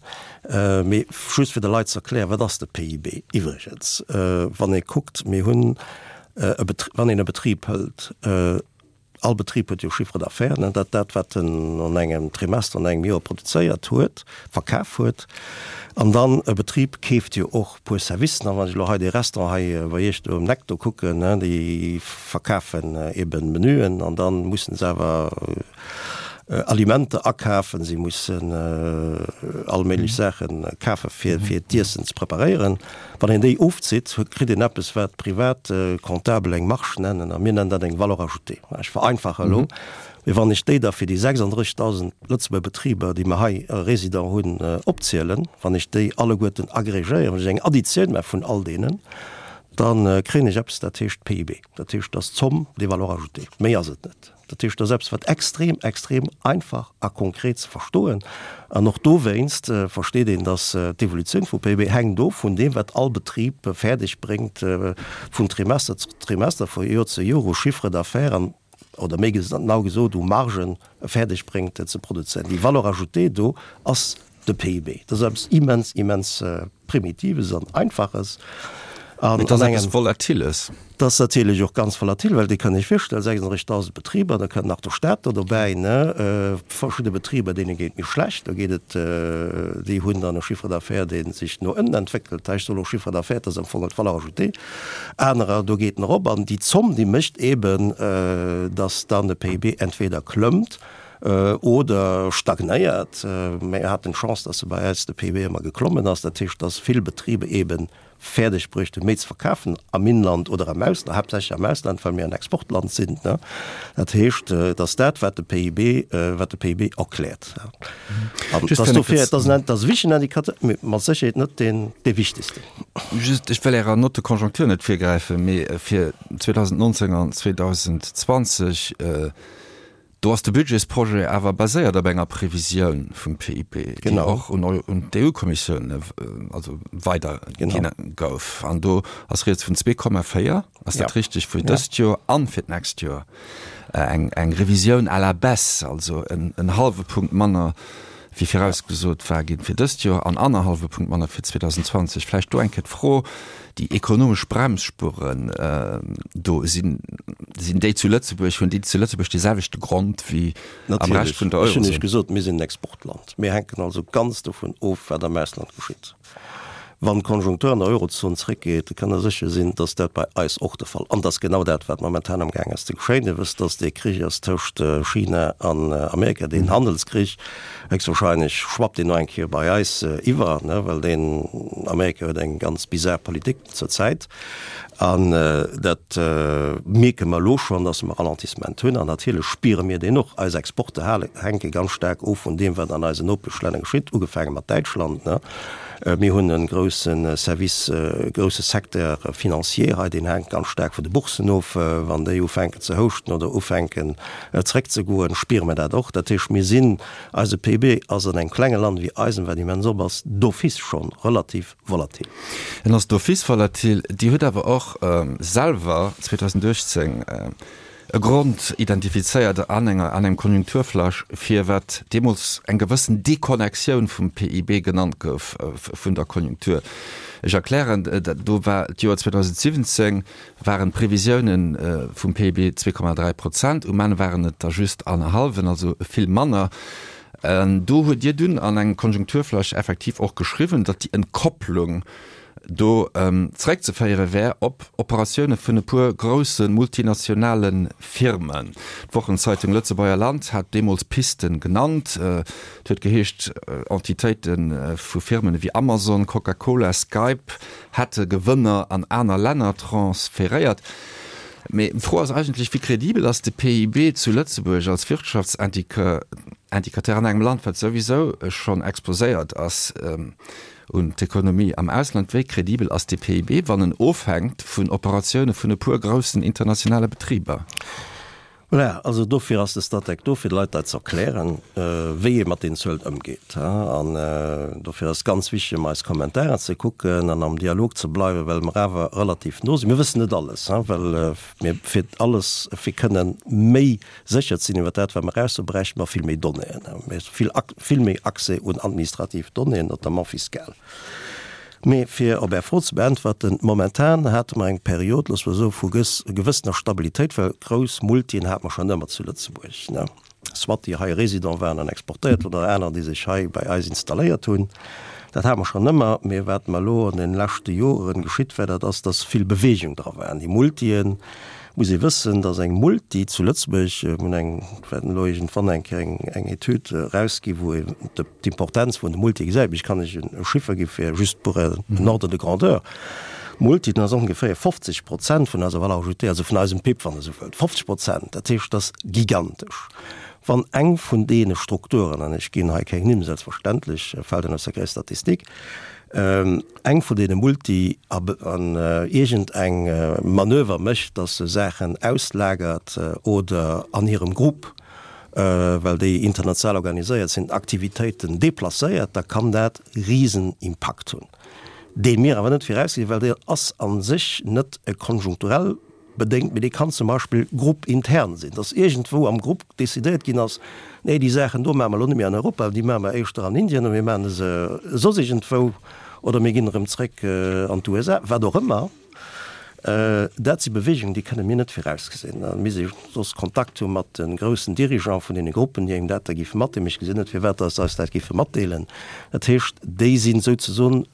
mee just fir de Leit ze erklären, wat ass de PIB iwwregens, wann ee kuckt, mir hunn, Wann een e Betrib hëlt, all Betrib huet jo Chiffre d'affaires, ne, dat dat wat en an engem Trimester, an engem Joer produzéiert huet, verkaf huet. An dann e Betrib keeft jo och e puer Servicen. A wann ech elo hei dee Restaurant hei bei Iech do um Eck do kucken, ne, déi verkafen eben Menüen an da mussen se awer Alimenter akafen, si mussen all méiglech Saache kafe fir fir d'Iessen ze preparéieren. Wann een déi ofzitt, kritt een eppes wat privat Comptabel eng Marge nennen a mir nennen dat eng Valeur ajoutée. Ech vereinfache elo, mee wann ech déi da fir déi 36.000 Lëtzebuerger Betriber, déi mer hei Résident hunn, opzielen, wann ech déi alleguerten agrégéieren, wann ech eng Additioun maache vun all deenen, da kréien ech eppes dat heescht PIB. Dat heescht, dat ass d'Somme des valeurs ajoutées. Méi ass et net. Dat heescht, dat ass eppes, wat extrem, extrem einfach a konkret ze verstoen. An och dowéinst versteet een, dass d'Evolutioun vum PIB hänkt of vun deem, wat all Betrib fäerdeg bréngt vun Trimester zu Trimester, vu Joer zu Joer u Chiffre d'affaires an, oder méi genau gesot, u Margen fäerdeg bréngt ze produzéieren. Déi Valeur ajoutée do ass De PIB, dat ass eppes immens, immens Primitives an Einfaches. An Et ass eppes Volatiles. Dat ass natierlech och ganz volatil, well Dir kënnt Iech virstellen, 36.000 Betriber, da kënnt nach de Staat do dobäi, ne? Verschidde Betriber, deene geet et méi schlecht, do geet et, déi hunn dann e Chiffre d'affaires, dee sech no ënnen entwéckelt. Ech soen och Chiffre d'affaires, dat ass am Fong d'Valeur ajoutée. Anerer, do geet en erop. An déi Zomm, déi mécht eeben, datt dann de PIB entweder klëmmt, Oder stagnéiert. Mir haten d'Chance, dass se bei eis de PIB ëmmer geklommen ass. Dat heescht, dass vill Betriber eebe fäerdeg bruecht hunn, méi ze verkafen am Inland oder am Ausland, haaptsächlech am Ausland, well mir en Exportland sinn. Dat heescht, et ass dat, wat de PIB, wat de PIB erkläert. An et ass dofir, et ass en, et ass e wichtegen Indicateur, mee mat Sécherheet net deen, dee wichtegsten. Just, ech wëll Ärer Note de conjoncture net virgräifen, mee fir 2019 an 2020, Do ass de Budgetsprojet awer baséiert op enger Previsioun vum PIB, déi och un d'EU-Kommissioun also weiderginn gouf. An do ass rieds vun 2,4, ass dat richteg, fir dëst Joer an fir d'nächst Joer eng Revisioun à la baisse, also en hallwe Punkt manner wéi virausgesot war ginn fir dëst Joer an annerhallwe Punkt manner fir 2020. Vläicht do eng Kéier d'Fro, déi ekonomesch Bremsspuren do, sinn, sinn déi zu Lëtzebuerg, hunn déi zu Lëtzebuerg dee selwechte Grond wéi am Rescht vun der Eurozon? Natierlech. Ech hunn Iech gesot, mir sinn en Exportland. Mir hänken also ganz dovun of, wat am Ausland geschitt. Wann d'Konjunktur an der Eurozon zréckgeet, da kënnt Der sécher sinn, dass dat bei eis och de Fall. An et ass genau dat, wat momentan amgaang ass ze geschéien. Dir wësst, dass dee Krich ass tëscht China an Amerika, deen Handelskrich. Héchstwahrscheinlech schwappt deen nach eng Kéier bei eis iwwer, well deen Amerika huet eng ganz bizar Politik zur Zäit. An dat mierke mer elo schonn, dass mer Ralentissement hunn. An natierlech spiere mir deen och. Eis Exporte hänke ganz staark of vun deem, wat an eisen Nopeschlänner geschitt, ugefaange mat Däitschland. Mir hunn e grousse Service, e grousse Secteur financier hei, deen hänkt ganz staark vun de Boursen of. Wann déi ufänken ze houschten oder ufänken zeréckzegoen, spiere mer dat och. Dat heescht, mir sinn, eise PIB ass an engem klenge Land wéi eisem, wat immens op ass, d'office schonn relativ volatil. En ass d'office volatil. Dir hutt awer och selwer 2018 e Grond identifizéiert an enger an engem Konjunkturflash, fir wat deemools eng gewëssen Deconnectioun vum PIB genannt gouf vun der Konjunktur. Ech erklären, do war d'Joer 2017, waren d'Previsiounen vum PIB 2,3 Prozent, um Enn waren et der just annerhallwen, also vill manner. Do hutt Dir dunn an engem Konjunkturflash effektiv och geschriwwen, datt déi Entkopplung do zeréckzeféiere wär op Operatioune vun e puer grousse multinationale Firmen. D'Wochenzeitung Lëtzebuerger Land hat deemools Pisten genannt. Et huet geheescht, Entitéite vu Firmen ewéi Amazon, Coca-Cola, Skype hätte Gewënner an aner Länner transferéiert. Mee d'Fro ass eigentlech, Wéi kredibel ass de PIB zu Lëtzebuerg als Wirtschaftsindikateur an engem Land, wat souwisou schonn exposéiert ass un d'Ekonomie am Ausland? Wéi kredibel ass de PIB, wann en ofhänkt vun Operatioune vun e puer groussen internationale Betriber? Voilà, also dofir ass de Statec do, fir de Leit dat ze erklären, wéi ee mat deenen Zuelen ëmgeet. An dofir ass et ganz wichteg, ëmmer eis Kommentaren ze kucken an am Dialog ze bleiwen, well mer awer relativ no sinn. Mir wëssen net alles, well mir fir alles, fir kënnen méi sécher ze sinn iwwer dat, wat mer eraussoen, bräichte mer vill méi Donnéeën, vill, vill méi Accès un administrativ Donnéeën, notamment fiscal. Mee fir op Är Fro ze beäntwerten, Momentan hate mer eng Period, loosse mer soen, vu gewëssener Stabilitéit, well grouss Multien hate mer schonn ëmmer zu Lëtzebuerg, ne, soit déi hei Résident waren an exportéiert hunn oder aner, déi sech hei bei eis installéiert hunn. Dat hate mer schonn ëmmer. Mee wat mer elo an de leschte Joren geschitt war, dat ass, dass vill Bewegung dra war. An déi Multien, muss ee wëssen, dass eng Multi zu Lëtzebuerg, mir hunn eng, wäerten elo iergendwann eng Kéier eng, eng Etüd erausginn, wou een d'Importenz vun de Multi gesäit, mee ech kann lech e Chiffer gi fir just pour en ordre de grandeur, Multi, dat ass ongeféier 50 Prozent vun eiser Valeur ajoutée, also vun eisem PIB, wann Der esou wëllt. 50 Prozent, dat heescht, dat ass gigantesch. Wann eng vun deene Strukturen, an ech ginn hei keng Nimm, selbstverständlech, fält en aus der Statistik, eng vun deene Multi an iergend eng Manöver mécht, dass se Saachen auslagert oder an hirem Grupp, well déi international organiséiert sinn, Aktivitéiten deplacéiert, da kann dat risen Impakt hunn, dee mir awer net virausgesinn, well dee ass a sech net e konjunkturell bedéngt, mee dee kann zum Beispill gruppintern sinn, dass iergendwou am Grupp decidéiert ginn ass, nee déi Saachen do maache mer elo net méi an Europa, déi maache mer éischter an Indien oder mir maache se soss iergendwou oder mir ginn erëm zréck an d'USA, wat och ëmmer. Dat si Beweegungen, déi kënne mir net virausgesinn. Da misst ee soss Kontakt hu mat de groussen Dirigeante vun deene Gruppen, déi engem dat da géife matdeelen. Mee ech gesinn net, firwat datt se eis dat géife matdeelen. Dat heescht, déi sinn souzesoen,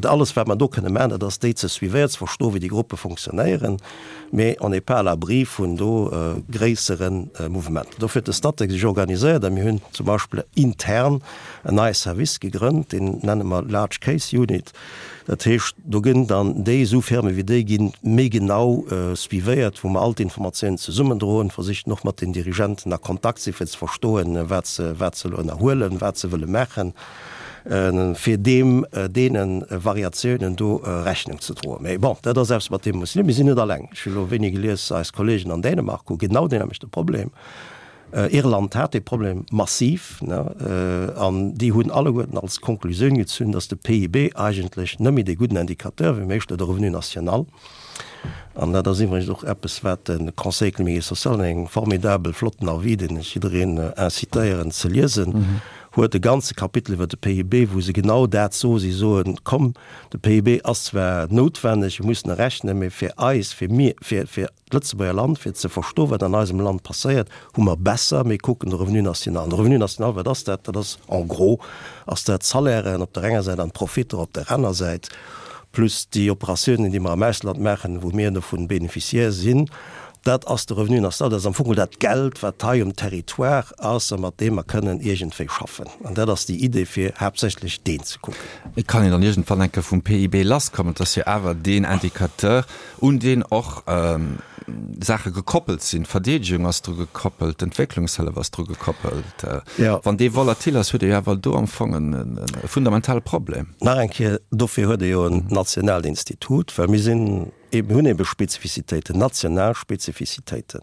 alles wat mer do kënne maachen, dat ass déi ze suivéieren, ze verstoen, wéi déi Gruppe fonctionnéieren. Mee on n'est pas à l'abri vun do gréissere Mouvementer. Dofir huet de Statec sech organiséiert a mir hunn zum Beispill intern en neie Service gegrënnt, deen nenne mer Large Case Unit. Dat heescht, do ginn dann déi esou Firme wéi déi ginn méi genau suivéiert, wou mer all d'Informatiounen zesummendroen, versichen och mat den Dirigenten a Kontakt sinn, fir ze verstoen, wat se, wat se elo ënnerhuelen, wat se wëlle maachen, fir deem, deene Variatiounen do Rechnung ze droen. Mä bon, dat ass eppes, mat deem mer musse liewen. Mir sinn net alleng. Ech hu elo wéini gelies, eis Kollegen an Dänemark hu genau deen nämmlechte Problem. Irland hat dee Problem massiv, an déi hunn alleguerten als Konklusioun gezunn, datt de PIB eigentlech net méi dee gudden Indicateur wier, mee éischter de Revenu national. An dat ass iwwregens och eppes, wat de Conseil économique et social an engem formidabel flotten Avis, deen ech jiddereen incitéieren ze liesen, mhm. Huet e ganze Kapitel iwwer de PIB, wou se genau dat soen. Si soen, komm, de PIB ass zwar noutwenneg, mir mussen e rechnen, mee fir eis, fir mir, fir, fir d'Lëtzebuerger Land, fir ze verstoen, wat an eisem Land passéiert, hu mer besser, mir kucken de Revenu national. An de Revenu national, wat ass dat? Dat ass en gros ass dat d'Salairen op der enger Säit an d'Profitter op der aner Säit, plus déi Operatiounen, déi mer am Ausland maachen, wou mir dovun Bénéficiaire sinn. Dat ass de Revenu national, dat ass am Fong dat Geld, wat hei um Territoire ass a mat deem mer kënnen iergendwéi schaffen. An dat ass déi Idee, fir haaptsächlech deen ze kucken. Et kann een dann iergendwann eng Kéier vum PIB lasskommen. Et ass jo awer deen Indicateur, un deen och Saache gekoppelt sinn. D'Verdeedegung ass dru gekoppelt, d'Entwécklungshëllef ass dru gekoppelt. Wann dee volatil ass, huet ee jo awer do am Fong e fundamentale Problem. Nach eng Kéier, dofir huet ee jo en nationaalt Institut, well mir sinn, Mir hunn ebe Spezifizitéiten, national Spezifizitéiten.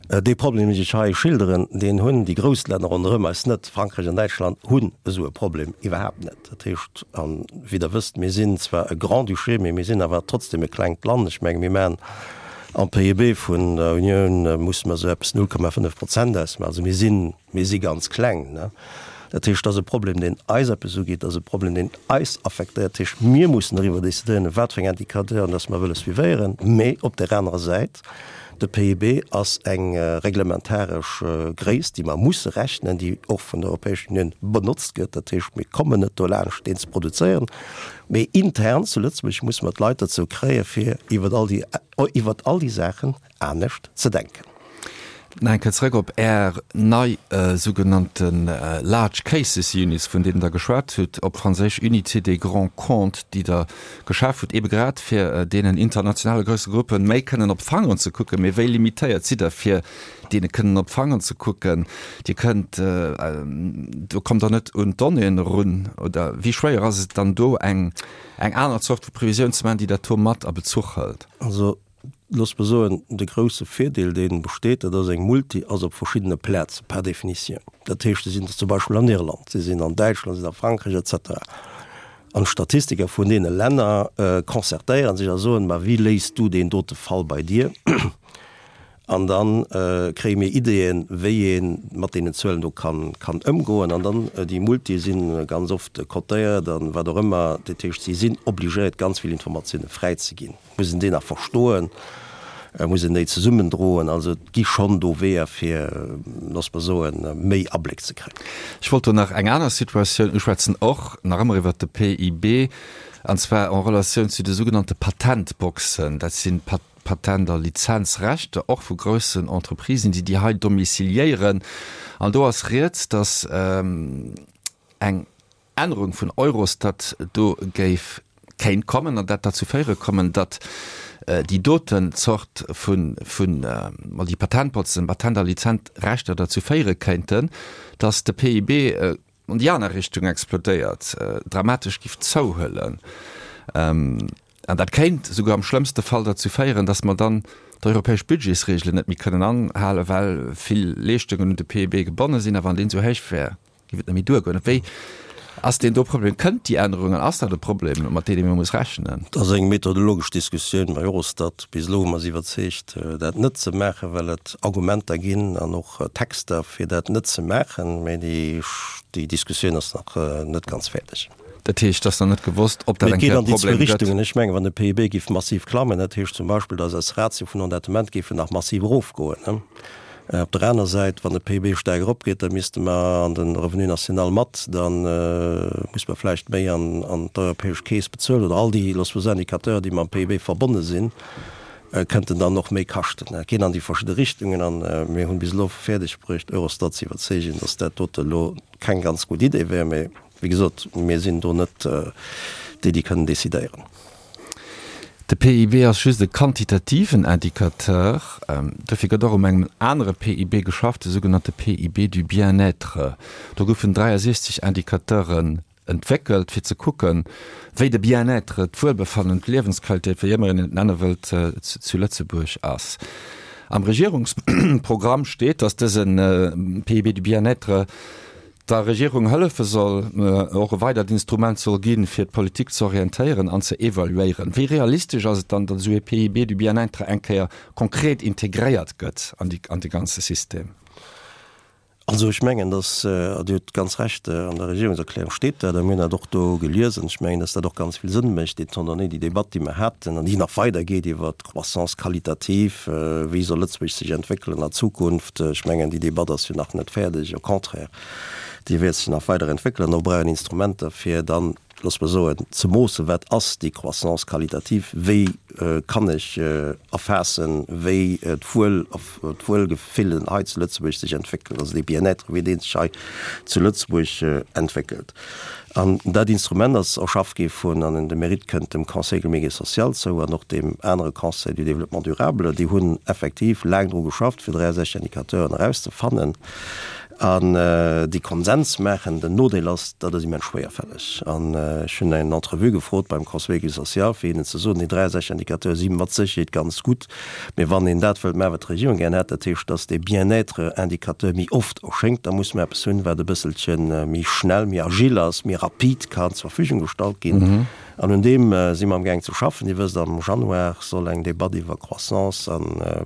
Dee Problem, deen ech hei schilderen, deen hunn déi grouss Länner ronderëm eis net. Frankräich an Däitschland hunn esou e Problem iwwerhaapt net. Dat heescht, a wéi Der wësst, mir sinn zwar e Grand-Duché, mee mir sinn awer trotzdem e klengt Land. Ech menge mir maachen am PIB vun der Unioun musse mer esou eppes 0,5 Prozent ausmaachen. Also mir sinn Mir si ganz kleng. Ne? Dat heescht, dat ass e Problem, deen eis eppes ugeet, dat ass e Problem, deen eis affektéiert. Dat heescht, mir mussen doriwwer decidéieren, wat fir eng Indicateuren dass mer wëlle suivéieren. Mee op där anerer Säit, de PIB ass eng reglementaresch Gréisst, déi mer musse rechnen, déi och vun der Europäescher Unioun benotzt gëtt. Dat heescht, mir kommen net dolaanscht, deen ze produzéieren. Mee intern zu Lëtzebuerg musse mer d'Leit dozou kréien, fir iwwer all déi, iwwer all déi Saachen anescht ze denken. Nach eng Kéier zrëck op Är nei sougenannte Large Cases Units, vun deenen Der geschwat hutt, op Franséisch Unités des grands comptes, déi Der geschaf hutt, eebe grad fir deenen internationale grousse Gruppe méi kënnen op d'Fangeren ze kucken. Mee wéi limitéiert sidd Der, fir deene kënnen op d'Fangeren ze kucken? Dir kënnt, do kommt Der net un d'Donnéeën erun. Oder wéi schwéier ass et dann do, eng aner Zort vu Previsioun ze maachen, déi dat do mat a Bezuch hëlt? Also Looss mer soen, de grousse Virdeel, dee besteet, dat ass, eng Multi ass op verschiddene Plaze par définition. Dat heescht, se sinn zum Beispill an Irland, se sinn an Däitschland, se sinn a Frankräich et cetera. An d'Statistiker vun deene Länner concertéiere sech a soen, ma wéi léis du deen dote Fall bei dir? An da kréie mir Ideeën, wéi ee mat deenen Zuelen do kann ëmgoen. An dann, déi Multië si ganz oft cotéiert a wat och ëmmer. Dat heescht, si sinn obligéiert, ganz vill Informatioune fräizeginn. Muss een déi nach verstoen? Muss een déi zesummendroen? Also et gi schonn do Weeër, fir, looss mer soen, méi Abléck ze kréien. Ech wollt do nach eng aner Situatioun uschwätzen, och nach ëmmer iwwert de PIB, an zwar en Relatioun zu de sougenannte Patentboxen. Dat si Patent a Lizenzrechter, och vu groussen Entreprisen, déi déi hei domiciliéieren. An do ass rieds, datt eng Ännerung vun Eurostat do géif kéint kommen an dat derzou féiere kommen, datt déi doten Zort vun, vun, ma déi Patentboxen, Patent a Lizenzrechter derzou féiere kéinten, datt de PIB an déi aner Richtung explodéiert, dramatesch giff zouhuelen. An dat kéint esouguer am schlëmmste Fall derzou féieren, datt mer dann d'europäesch Budgetsregelen net méi kënnen anhalen, well vill Leeschtungen un de PIB gebonne sinn. A wann deen esou héich wär, Géif et net méi duergoen? Wéi ass deen do Problem? Kënnt déi Ännerung an ass dat e Problem, mat deem ee muss rechnen? Dat ass eng methodologesch Diskussioun bei Eurostat. Bis elo hu mer se iwwerzeegt, dat net ze maachen, well et Argumenter ginn an och Texter, fir dat net ze maachen. Mee déi Diskussioun ass nach net ganz fäerdeg. Dat heescht, et ass nach net gewosst, ob dat eng Kéier e Problem gëtt. Mee et geet an déi zwou Richtungen. Ech mengen, wann de PIB géif massiv klammen, dat heescht zum Beispill, datt eis Ratio vun Endettement géifen nach massiv erofgoen. Op der aner Säit, wann de PIB staark eropgeet, da misste mer an de Revenu national mat, da muss mer vläicht méi an d'europäesch Keess bezuelen oder all déi, loosse mer soen, Indicateuren, déi mam PIB verbonne sinn, kënnten dann och méi kaschten. Et geet an déi verschidde Richtungen a mir hunn bis elo fäerdeg bruecht, Eurostat ze iwwerzeegen, datt dat dote elo keng ganz gutt Idee wär. Mee wéi gesot, mir sinn do net déi, déi kënnen decidéieren. De PIB ass just e quantitativen Indicateur. Dofir gëtt och um engem anere PIB geschafft, de sougenannte PIB du bien-être. Do goufen 63 Indicateuren entwéckelt, fir ze kucken, wéi de Bien-être, d'Wuelbefannen, d'Liewensqualitéit, wéi ëmmer een et nenne wëllt, zu Lëtzebuerg ass. Am Regierungsprogramm steet, datt dëse PIB du bien-être der Regierung hëllefe soll, och e weidert Instrument soll ginn, fir d'Politik ze orientéieren an ze evaluéieren. Wéi realistesch ass et dann, datt esou ee PIB du bien-être eng Kéier konkret integréiert gëtt an déi, an de ganze System? Also ech mengen, dass, Dir hutt ganz Recht, an der Regierungserklärung steet dat, a mir hunn dat och do geliesen, ech mengen, dass dat och ganz vill Sënn mécht, étant donné déi Debatt, déi mer haten an déi nach weidergeet iwwert d'Croissance qualitative, wéi soll Lëtzebuerg sech entwéckelen a Zukunft. Ech mengen, déi Debatt ass jo nach net fäerdeg, au contraire, déi wäert sech nach weider entwéckelen. Do brauch een Instrumenter, fir dann, looss mer soen, ze moossen, wat ass déi Croissance qualitative, wéi kann ech erfaassen, wéi d'Wuel, d'Wuelgefillen hei zu Lëtzebuerg sech entwéckelt, also dee Bien-être, wéi dee sech hei zu Lëtzebuerg entwéckelt. An dat Instrument ass erschaff gi vun, an de Mérite kënnt dem Conseil économique et social zou an och deem anere Conseil du développement durable, déi hunn effektiv laang dru geschafft, fir 63 Indicateuren erauszefannen. An déi Konsens maachen. Den Nodeel ass, dat ass immens schwéierfälleg. An ech hunn eng Entrevue gefrot beim Conseil économique et social, fir hinnen ze soen, déi 63 Indicateure si mat Sécherheet ganz gutt, mee wann een dat wëllt maachen, wat d'Regierung gären hätt, dat heescht, datt dee Bien-être-Indicateur méi oft erschéngt, da musse mer eppes hunn, wat e bësselche méi schnell, méi agile ass, méi rapid kann zur Verfügung gestallt ginn. An un deem si mer amgaang ze schaffen. Dir wësst, am Januar soll eng Debatt iwwer Croissance a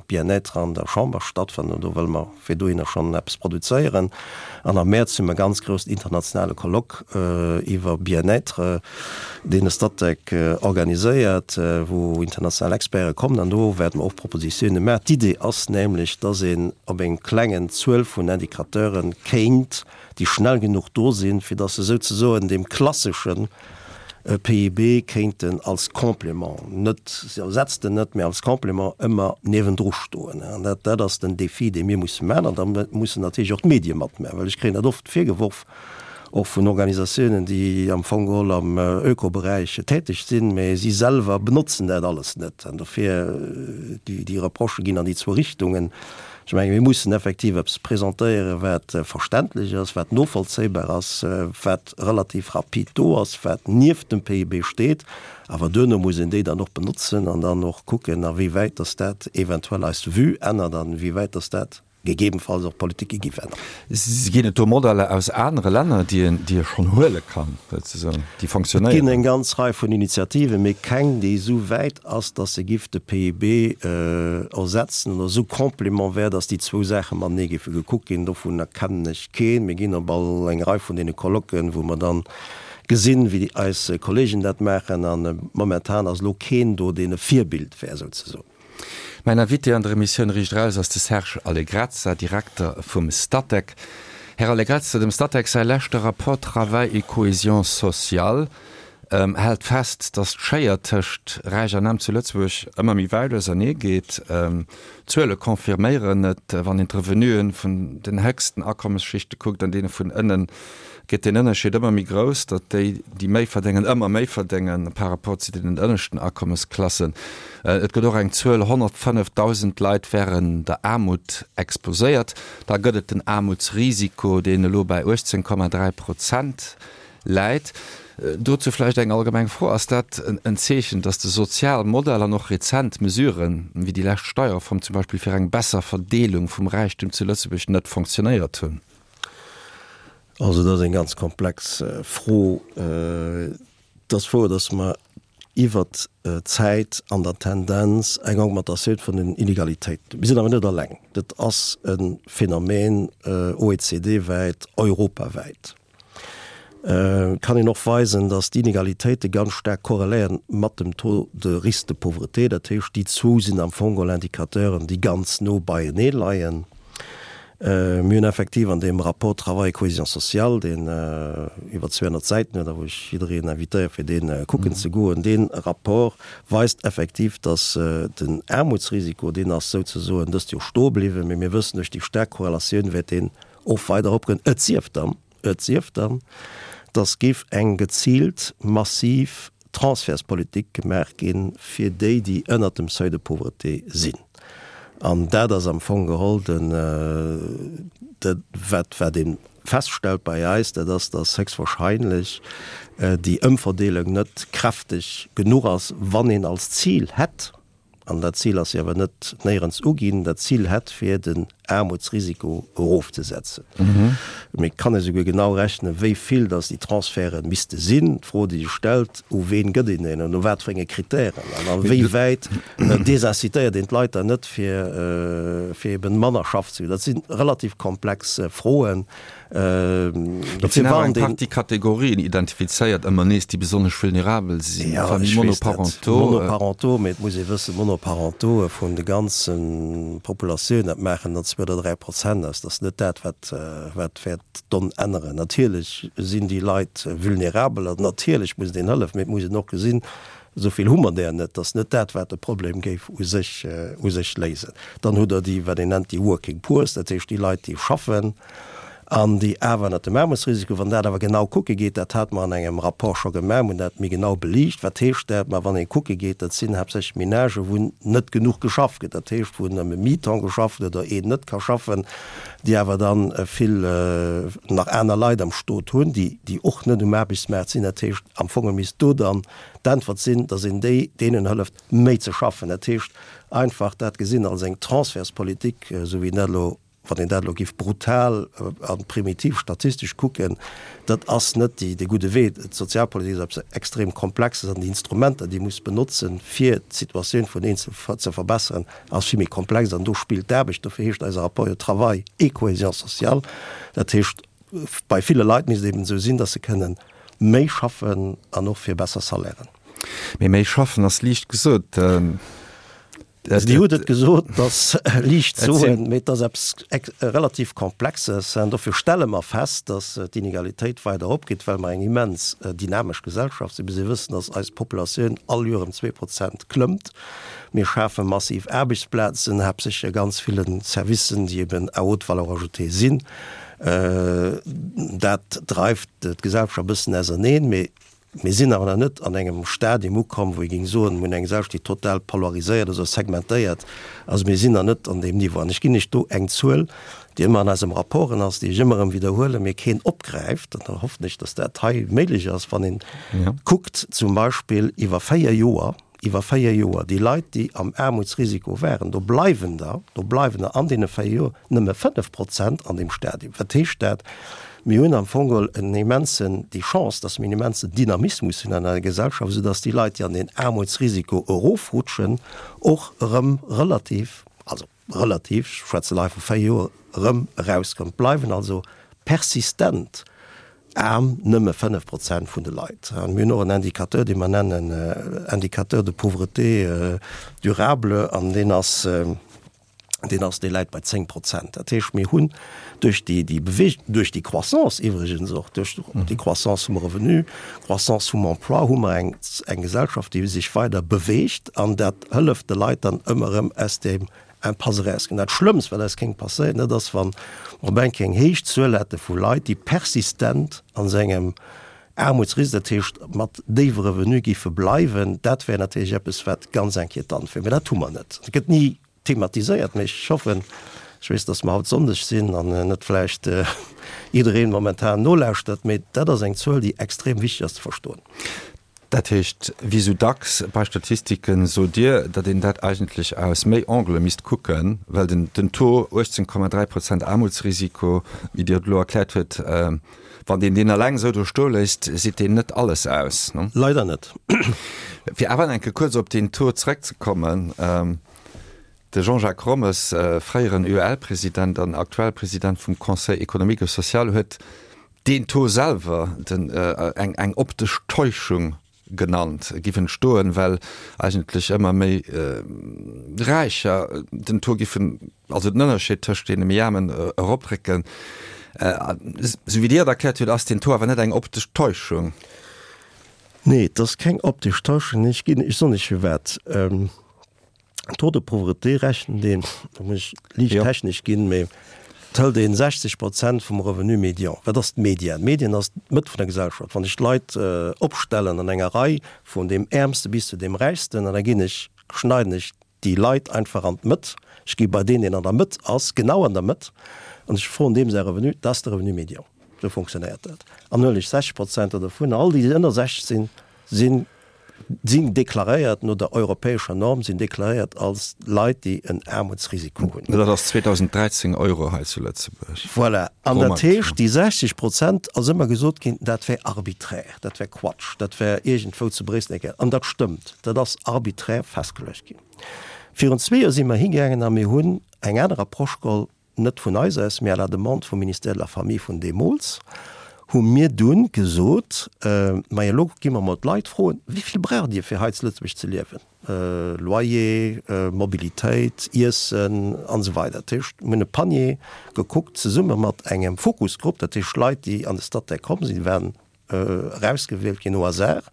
Bien-être an der Chamber stattfannen. Do wëlle mer fir dohinner schonn eppes produzéieren. An am Mäerz hu mer e ganz groussen internationale Colloque iwwer Bien-être, deen de Statec organiséiert, wou international Experte kommen. An do wäerte mer och Propositione maachen. D'Idee ass nämlech, dass een op eng klengen Zuel vun Indicateure kéint, déi schnell genuch do sinn, fir dass se souzesoen deem klasseschen PIB kéinten als Complément, net, se ersetzt en net, mä als Complément ëmmer niewendru stoen. An dat, dat ass den Défi, dee mir musse maachen. An da mussen natierlech och d'Medie matmaachen, well ech kréien dat oft virgeworf, och vun Organisatiounen, déi am Fong geholl am Ökoberäich täteg sinn, mä si selwer benotzen dat alles net. An dofir, déi, déi Reprochë ginn an déi zwou Richtungen. Ech menge mir mussen effektiv eppes presentéieren, wat verständlech ass, wat novollzéibar ass, wat relativ rapid do ass, wat nieft dem PIB steet. Awer duerno muss een déi dann och benotzen an dann och kucken, a wéi wäit dass dat eventuell eis Vue ännert an wéi wäit dass dat gegebenfalls och d'Politike giff änneren. Ginn et do Modeller aus anere Länner, déi een, déi ee schonn huele kann, souzesoen, déi fonctionnéieren? Et ginn eng ganz Rei vun Initiativen, mee keng, déi esou wäit ass, dass se giff de PIB ersetzen oder esou Complément wär, dass déi zwou Saache matenee géife gekuckt ginn. Dovunner kennen ech keen. Mir ginn op all eng Rei vun deene Colloquen, wou mer dann gesinn, wéi eis Kollegen dat maachen, a momentan ass elo keen do, deen e Virbild wär, souzesoen. Mäin Invité an der Emissioun Riicht Eraus ass de Serge Allegrezza, Direkter vum Statec. Här Allegrezza, dem Statec säi leschte Rapport Travail et cohésion sociale hält fest, datt d'Schéier tëscht Räich an Aarm zu Lëtzebuerg ëmmer méi wäit ausernee geet. D'Zuele confirméieren et, wann een d'Revenuen vun den héchsten Akommesschichte kuckt an deene vun ënnen, gëtt deen Ënnerscheed ëmmer méi grouss, datt déi, déi méi verdéngen, ëmmer méi verdéngen par rapport zu deenen ënneschten Akommesklassen. Et gëtt och eng Zuel, 105.000 Leit wären der Aarmut exposéiert. Da gëtt et den Aarmutsrisiko, deen elo bäi 18,3 Prozent läit. Dozou vläicht eng allgemeng Fro, Ass dat en Zeechen, datt de Sozialmodell an och rezent Mesuren, wéi déi lescht Steierreform zum Beispill, fir eng besser Verdeelung vum Räichtum zu Lëtzebuerg net fonctionnéiert hunn? Also dat ass eng ganz komplex Fro. Et ass wouer, datt mer iwwert d'Zäit an der Tendenz eng Augmentatioun vun den Inegalitéiten hunn. Mir sinn awer net eleng. Dat ass e Phänomen OECD-wäit, europawäit. Et kann een och weisen, datt d'Inegalitéite ganz staark korreléieren mat dem Taux de risque de pauvreté. Dat heescht, déi zwou sinn am Fong geholl Indicateuren, déi ganz no beienee leien. Mir hunn effektiv an deem Rapport Travail et cohésion sociale, deen iwwer 200 Säiten huet a wou ech jiddereen invitéiere fir dee kucken ze goen, dee Rapport weist effektiv, datt den Aarmutsrisiko, deen ass souzesoen dëst Joer stoe bliwwen, mee mir wëssen, duerch déi staark Korrelatioun wäert deen och weider eropgoen, et sief dann, Et sief dann, dass géif eng geziilt massiv Transfertspolitik gemaach gi fir déi, déi ënnert dem Seuil de pauvreté sinn. An dat ass am Fong geholl den, dat wat wat ee feststellt bei eis, dat ass, dass héchstwahrscheinlech déi Ëmverdeelung net kräfteg genuch ass, wann een als Zil hätt, an dat Zil ass jo awer net néierens uginn, dat Zil hätt fir den. Aarmutsrisiko erofzesetzen. Mee et kann ee souguer genau rechnen, wéi vill datt déi Transferte misste sinn. D'Fro, déi sech stellt, U ween gëtt een en an no wat fir enge Kritären an a wéi wäit desincitéiert een d'Leit dann net, fir fir eben manner schaffen ze goen? Dat si relativ komplex Froen. Et sinn awer eng Partie Kategorien identifizéiert ëmmer nees, déi besonnesch vulnerabel sinn, Familles monoparentaux. Monoparentaux, mee et muss ee wëssen, Monoparentauxe vun de ganze Populatioun, dat maachen der zwou oder 3% aus. Dat ass net dat, wat wat wäert d'Donn änneren. Natierlech sinn déi Leit vulnerabel an natierlech muss een hëllefen, mee et muss een och gesinn, esou vill hu mer där net. Dat ass net dat, wat de Problem géif u sech u sech léisen. Dann hutt Der déi, wat een nennt déi Working Poors, dat heescht déi Leit, déi schaffen, an déi awer ënnert dem Aarmutsrisiko, wann dat awer genau kucke geet, dat hate mer an engem Rapport scho gemaach, mir hunn dat méi genau beliicht, wat heescht dat? Ma wann ee kucke geet, dat sinn haaptsächlech Menagen, wou net genuch geschafft gëtt, dat heescht, wou nëmme Mi-temps geschafft gëtt oder een net ka schaffen, déi awer dann vill nach aner Leit am Stot hunn, déi, déi och net um Aarbechtsmaart sinn. Dat heescht, am Fong misst do dann d'Äntwert sinn, datt een déi, deenen hëlleft, méi ze schaffen. Dat heescht, einfach dat gesinn als eng Transfertspolitik, esou wéi dat elo Wann een dat elo géif brutal a primitiv statistesch kucken, dat ass net dee gudde Wee. D'Sozialpolitik ass eppes extrem Komplexes an déi Instrumenter, déi ee muss benotzen, fir d'Situatioun vun Eenzelne ze verbesseren, ass vill méi komplex. An do spillt d'Aarbecht, dofir heescht eise Rapport jo Travail et cohésion sociale. Dat heescht, bei ville Leit misst et eben esou sinn, datt se kënnen méi schaffen an och fir besser Salairen. Mee méi schaffen ass liicht gesot. Dir hutt et gesot, et ass liicht ze soen, mee et ass eppes relativ Komplexes. An dofir stelle mer fest, datt d'Inegalitéit weider eropgeet, well mer eng immens dynamesch Gesellschaft sinn. Mir si wëssen, datt eis Populatioun all Joer ëm 2% klëmmt. Mir schafe massiv Aarbechtsplazen, haaptsächlech a ganz ville Servicen, déi eben à haute valeur ajoutée sinn. Dat dreift d'Gesellschaft e bëssen auserneen. Mee Mir sinn awer nach net an engem Stadium ukomm, wou ee géing soen, mir hunn eng Gesellschaft, déi total polariséiert ass oder segmentéiert ass. Mir sinn nach net an deem Niveau. An ech ginn lech do eng Zuel, déi ëmmer an eisem Rapporten ass, déi ech ëmmer erëm widderhuelen, mee keen opgräift, an da hoffen ech, dass dat hei méiglech ass, wann een kuckt zum Beispill iwwer véier Joer, iwwer 4 Joer, déi Leit, déi am Aarmutsrisiko waren, do bleiwen der, do bleiwen der an deene 4 Joer nëmme 5 Prozent an deem Stadium. Wat heescht dat? Mir hunn am Fong geholl en immensen, déi Chance, dass mir en immensen Dynamismus hunn an eiser Gesellschaft, esoudass déi Leit, déi an deen Aarmutsrisiko erofrutschen, och erëm relativ, also relativ, ech schwätzen hei vu 4 Joer, erëm erauskomm. Et bleiwen also persistent aarm nëmme 5 Prozent vun de Leit. A mir hunn och en Indicateur, dee mer nennen Indicateur de pauvreté durable, an deen ass, deen ass, dee läit bei 10 Prozent. Dat heescht, mir hunn duerch déi, déi Bewegung, duerch déi Croissance iwwregens och, duerch déi Croissance vum Revenu, Croissance vum Emploi, hu mer eng, eng Gesellschaft, déi sech weider beweegt, an dat hëlleft de Leit dann ëmmer erëm aus deem Impasse erauskommen. Dat Schlëmmst, wat eis kéint passéieren, dat ass, wann mer op eng Kéier eng héich Zuel hätte vu Leit, déi persistent an esou engem Aarmutsrisk, dat heescht mat déiwe Revenue géife bleiwen. Dat wär natierlech eppes, wat ganz inquietant wär. Mä dat hu mer net. Dat gëtt ni thematiséiert, mä ech hoffen, ech weess, dass mer haut Sonndeg sinn an net vläicht jiddereen momentan nolauschtert, mä dat ass eng Zuel, déi extrem wichteg ass ze verstoen. Dat heescht, wéi sou dacks bei Statistiken, sot Dir, datt een dat eigentlech aus méi Angele misst kucken, well den den Taux 18,3 Prozent Aarmutsrisiko, wéi Dir et elo erkläert huet, wann een deen eleng esou do stoe léisst, seet deen net alles aus, ne? Leider net. Fir awer nach eng Kéier kuerz op deen Taux zeréckzekommen, De Jean-Jacques Rommes, fréieren UEL-President an aktuell President vum Conseil économique et social, huet deen Taux selwer den eng eng optesch Täuschung genannt, giff entstoen, well eigentlech ëmmer méi Räicher den Taux giffen, also den Ënnerscheed tëscht deene méi Aarmen eroprécken. Esou wéi Dir et erkläert hutt, ass deen Taux awer net eng optesch Täuschung. Nee, et ass keng optesch Täuschung. Ech ginn, ech soen lech firwat. Taux de pauvreté rechent een, da muss ech liicht technesch ginn, mee et hëlt een 60 Prozent vum Revenu médian. Wat ass d'Median? D'Median ass d'Mëtt vun der Gesellschaft. Wann ech d'Leit opstellen an enger Rei vun deem Äermste bis zu deem Räichsten an da ginn ech, schneiden ech déi Leit einfach an d'Mëtt, ech gi bei deen, deen an der Mëtt ass, genau an der Mëtt, an ech froen deem säi Revenu, dat ass de Revenu médian. Esou funktionéiert dat. An huelen ech 60 Prozent dovun, all déi, déi ënner 60 sinn, sinn. sinn deklaréiert no der europäescher Norm, sinn deklaréiert als Leit, déi en Aarmutsrisiko hunn. Dat ass 2.013 Euro hei zu Lëtzebuerg. Voilà. An dat heescht, déi 60 Prozent ass ëmmer gesot ginn, dat wär arbiträr, dat wär Quatsch, dat wär iergendwou zu Bréissel eng Kéier. An dat stëmmt, dat ass arbiträr festgeluecht ginn. Virun zwee Joer si mer higaangen a mir hunn eng aner Approche geholl, net vun eis aus, mee à la demande vum Ministère de la Famille vun deemools, hu mir dunn gesot, Majo elo gi mer mol d'Leit froen, wéi vill braucht Dir fir hei zu Lëtzebuerg ze liewen, Loyer, Mobilitéit, Iessen an esou weider. Dat heescht, mir hunn e Panier gekuckt zesumme mat engem Fokusgrupp, dat heescht Leit, déi an de Statec komm sinn, waren erausgewielt ginn au hasard,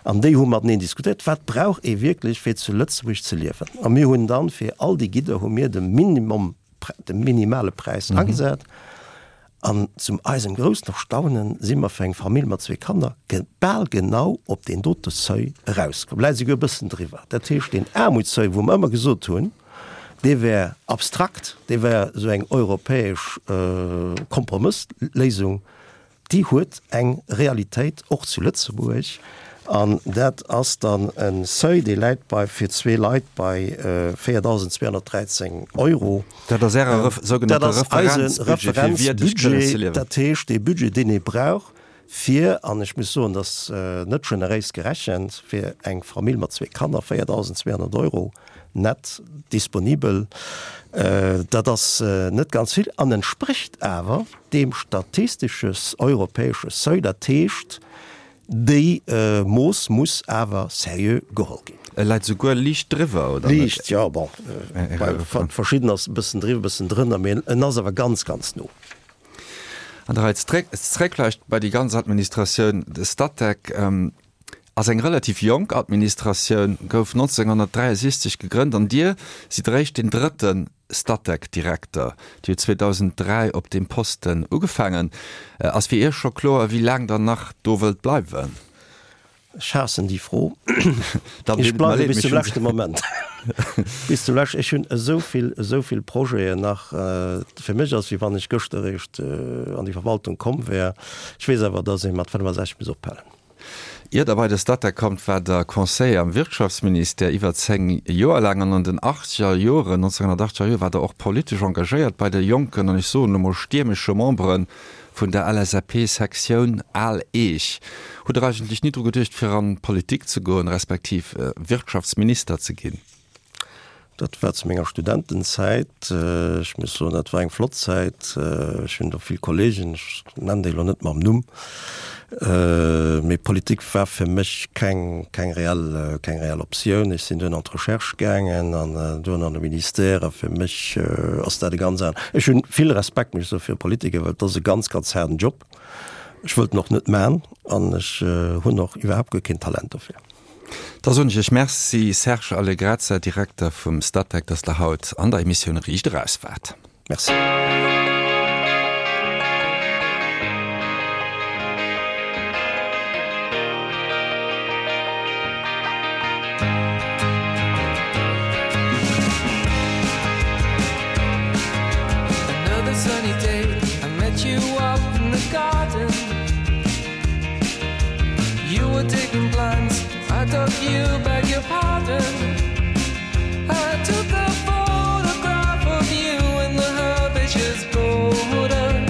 an déi hu mateneen diskutéiert, wat brauch ee wierklech fir zu Lëtzebuerg ze liewen. A mir hunn dann fir all déi Gidder hu mir de Minimum, de minimale Präis agesat. An zum eisem groussen Erstaunen si mer fir eng Famill mat zwee Kanner bal genau op deen dote Seuil erauskomm, vläicht esouguer e bëssen driwwer. Dat heescht, deen Aarmutsseuil, wou mer ëmmer gesot hunn, dee wär abstrakt, dee wär esou eng europäesch Kompromëssléisung, Déi huet eng Realitéit och zu Lëtzebuerg, an dat ass dann e Seuil, dee läit bei, fir zwee Leit bei 4.213 Euro. Dat ass Äre sougenannte Referenzbudget, fir wierdeg kënnen ze liewen. Dat heescht, dee Budget, deen ee brauch, fir, an ech muss soen, dat ass net generéis gerechent, fir eng Famill mat zwee Kanner 4.200 Euro net disponibel, dat ass net ganz vill an entsprécht awer deem statistesche europäesche Seuil. Dat heescht, déi Mooss muss awer seriö geholl ginn. E läit souguer liicht driwwer, oder net? Liicht, jo, bon, bei verschidden ass e bëssen driwwer, e bëssen drënner, mee en ass awer ganz, ganz no. An da zréck vläicht bei déi ganz Administratioun, de Statec ass eng relativ jonk Administratioun, gouf 1963 gegrënnt an Dir sidd eréischt deen drëtte Statec-Direkter. Dir hutt 2003 op deem Posten ugefaangen. Ass fir Iech scho kloer, wéi laang Der nach do wëllt bleiwen? Ech haassen déi Fro. Ech bleiwe bis zum leschte Moment. Bis zum leschten. Ech hunn esou vill, esou vill Projeten nach. Fir mech ass, wéi wann ech gëschter eréischt an déi Verwaltung komm wär. Ech weess awer, datt ee mat 65 muss ophalen. Ier Der bei de Statec kommt, war Der Conseiller am Wirtschaftsministère iwwer 10 Joer laang an an den achtzeger Joren, 1980er Joer, war Der och politesch engagéiert bei de Jonken an, ech soen elo mol, stiermesche Membere vun der LSAP-Sektioun Al Eech. Hutt Der eigentlech ni dru geduecht, fir an d'Politik ze goen, respektiv Wirtschaftsminister ze ginn? Dat war zu menger Studentenzäit. Ech muss soen, dat war eng flott Zäit. Ech hunn do vill Kollegen, ech nennen déi elo net mam Numm, mee Politik war fir mech keng, keng reell, keng reell Optioun. Ech sinn duerno an d'Recherche gaangen an duerno an de Ministère a fir mech ass dat e ganz an, ech hunn vill Respekt, muss ech soen, fir Politiker, well et ass e ganz, ganz haarden Job. Ech wëllt en och net man an ech hunn och iwwerhaapt guer keen Talent dofir. Da soen ech Iech Merci, Serge Allegrezza, Direkter vum Statec, dass Der haut an der Emissioun Riicht Eraus waart. Merci. Another sunny day, I met you up in the garden. You were digging plants, I dug you, beg your pardon. I took a photograph of you in the herbaceous border.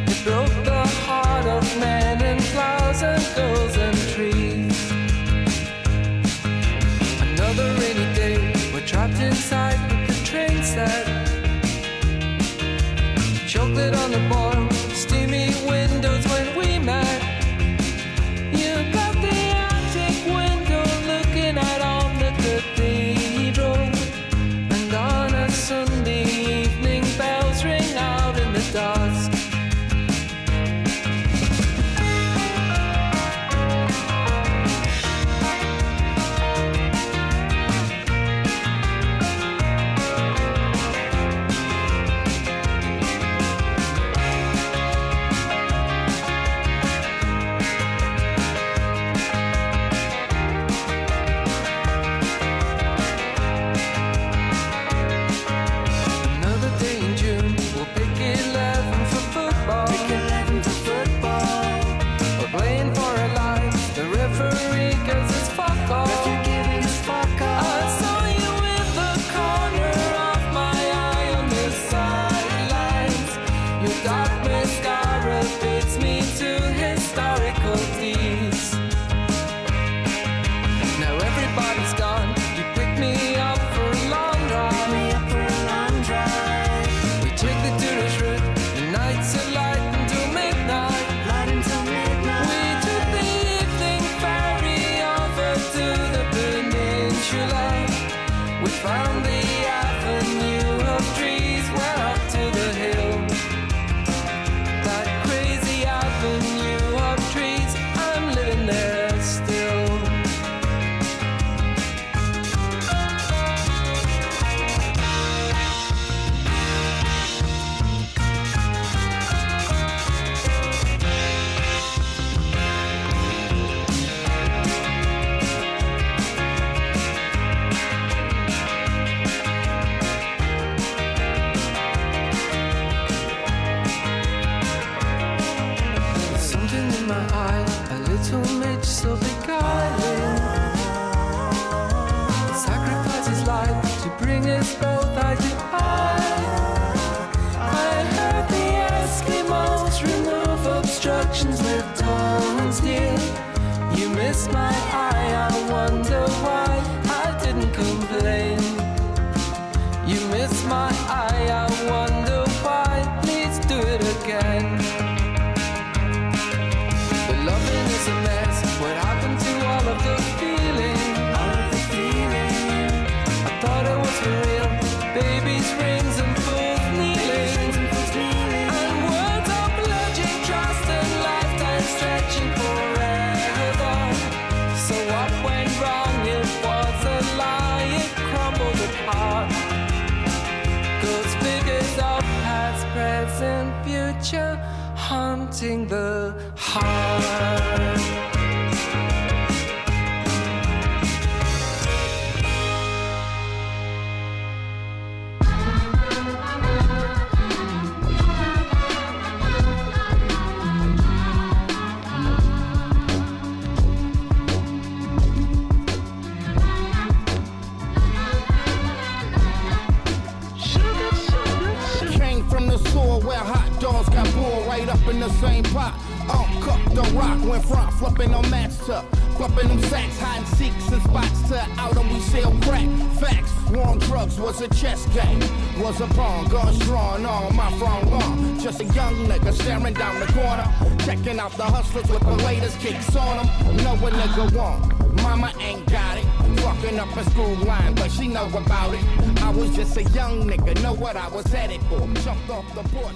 It broke the heart of men and flowers and girls and trees. Another rainy day, we're trapped inside with the train set. Chocolate on the boil, steamy windows when we met. You got the attic window looking out on the cathedral. Little Mitch so beguiling Sacrifice his life to bring us both eye to eye I heard the Eskimos remove obstructions with tongues dear You missed my eye, I wonder why I didn't complain You missed my eye, I wonder why Please do it again The loving is a mess What happened to all of the feeling? All of the feeling I thought it was for real Babies, rings and fools kneeling And words of pledging trust and lifetime stretching forever So what went wrong? It was a lie It crumbled apart Those figures of past, present, future Haunting the heart. Came from the soil where hot dogs got boiled right up in the same pot. Um, cook the rock went front, flipping on mats to flipping them sacks, hiding seeks and spots to out and we sell crack. Facts, war on drugs was a chess game, was a pawn, guns drawn on my front lawn. Just a young nigga staring down the corner, checking out the hustlers with the latest kicks on them. Know a nigga want, mama ain't got it. Fucking up a school line, but she know about it. I was just a young nigga, know what I was headed for. Jumped off the porch.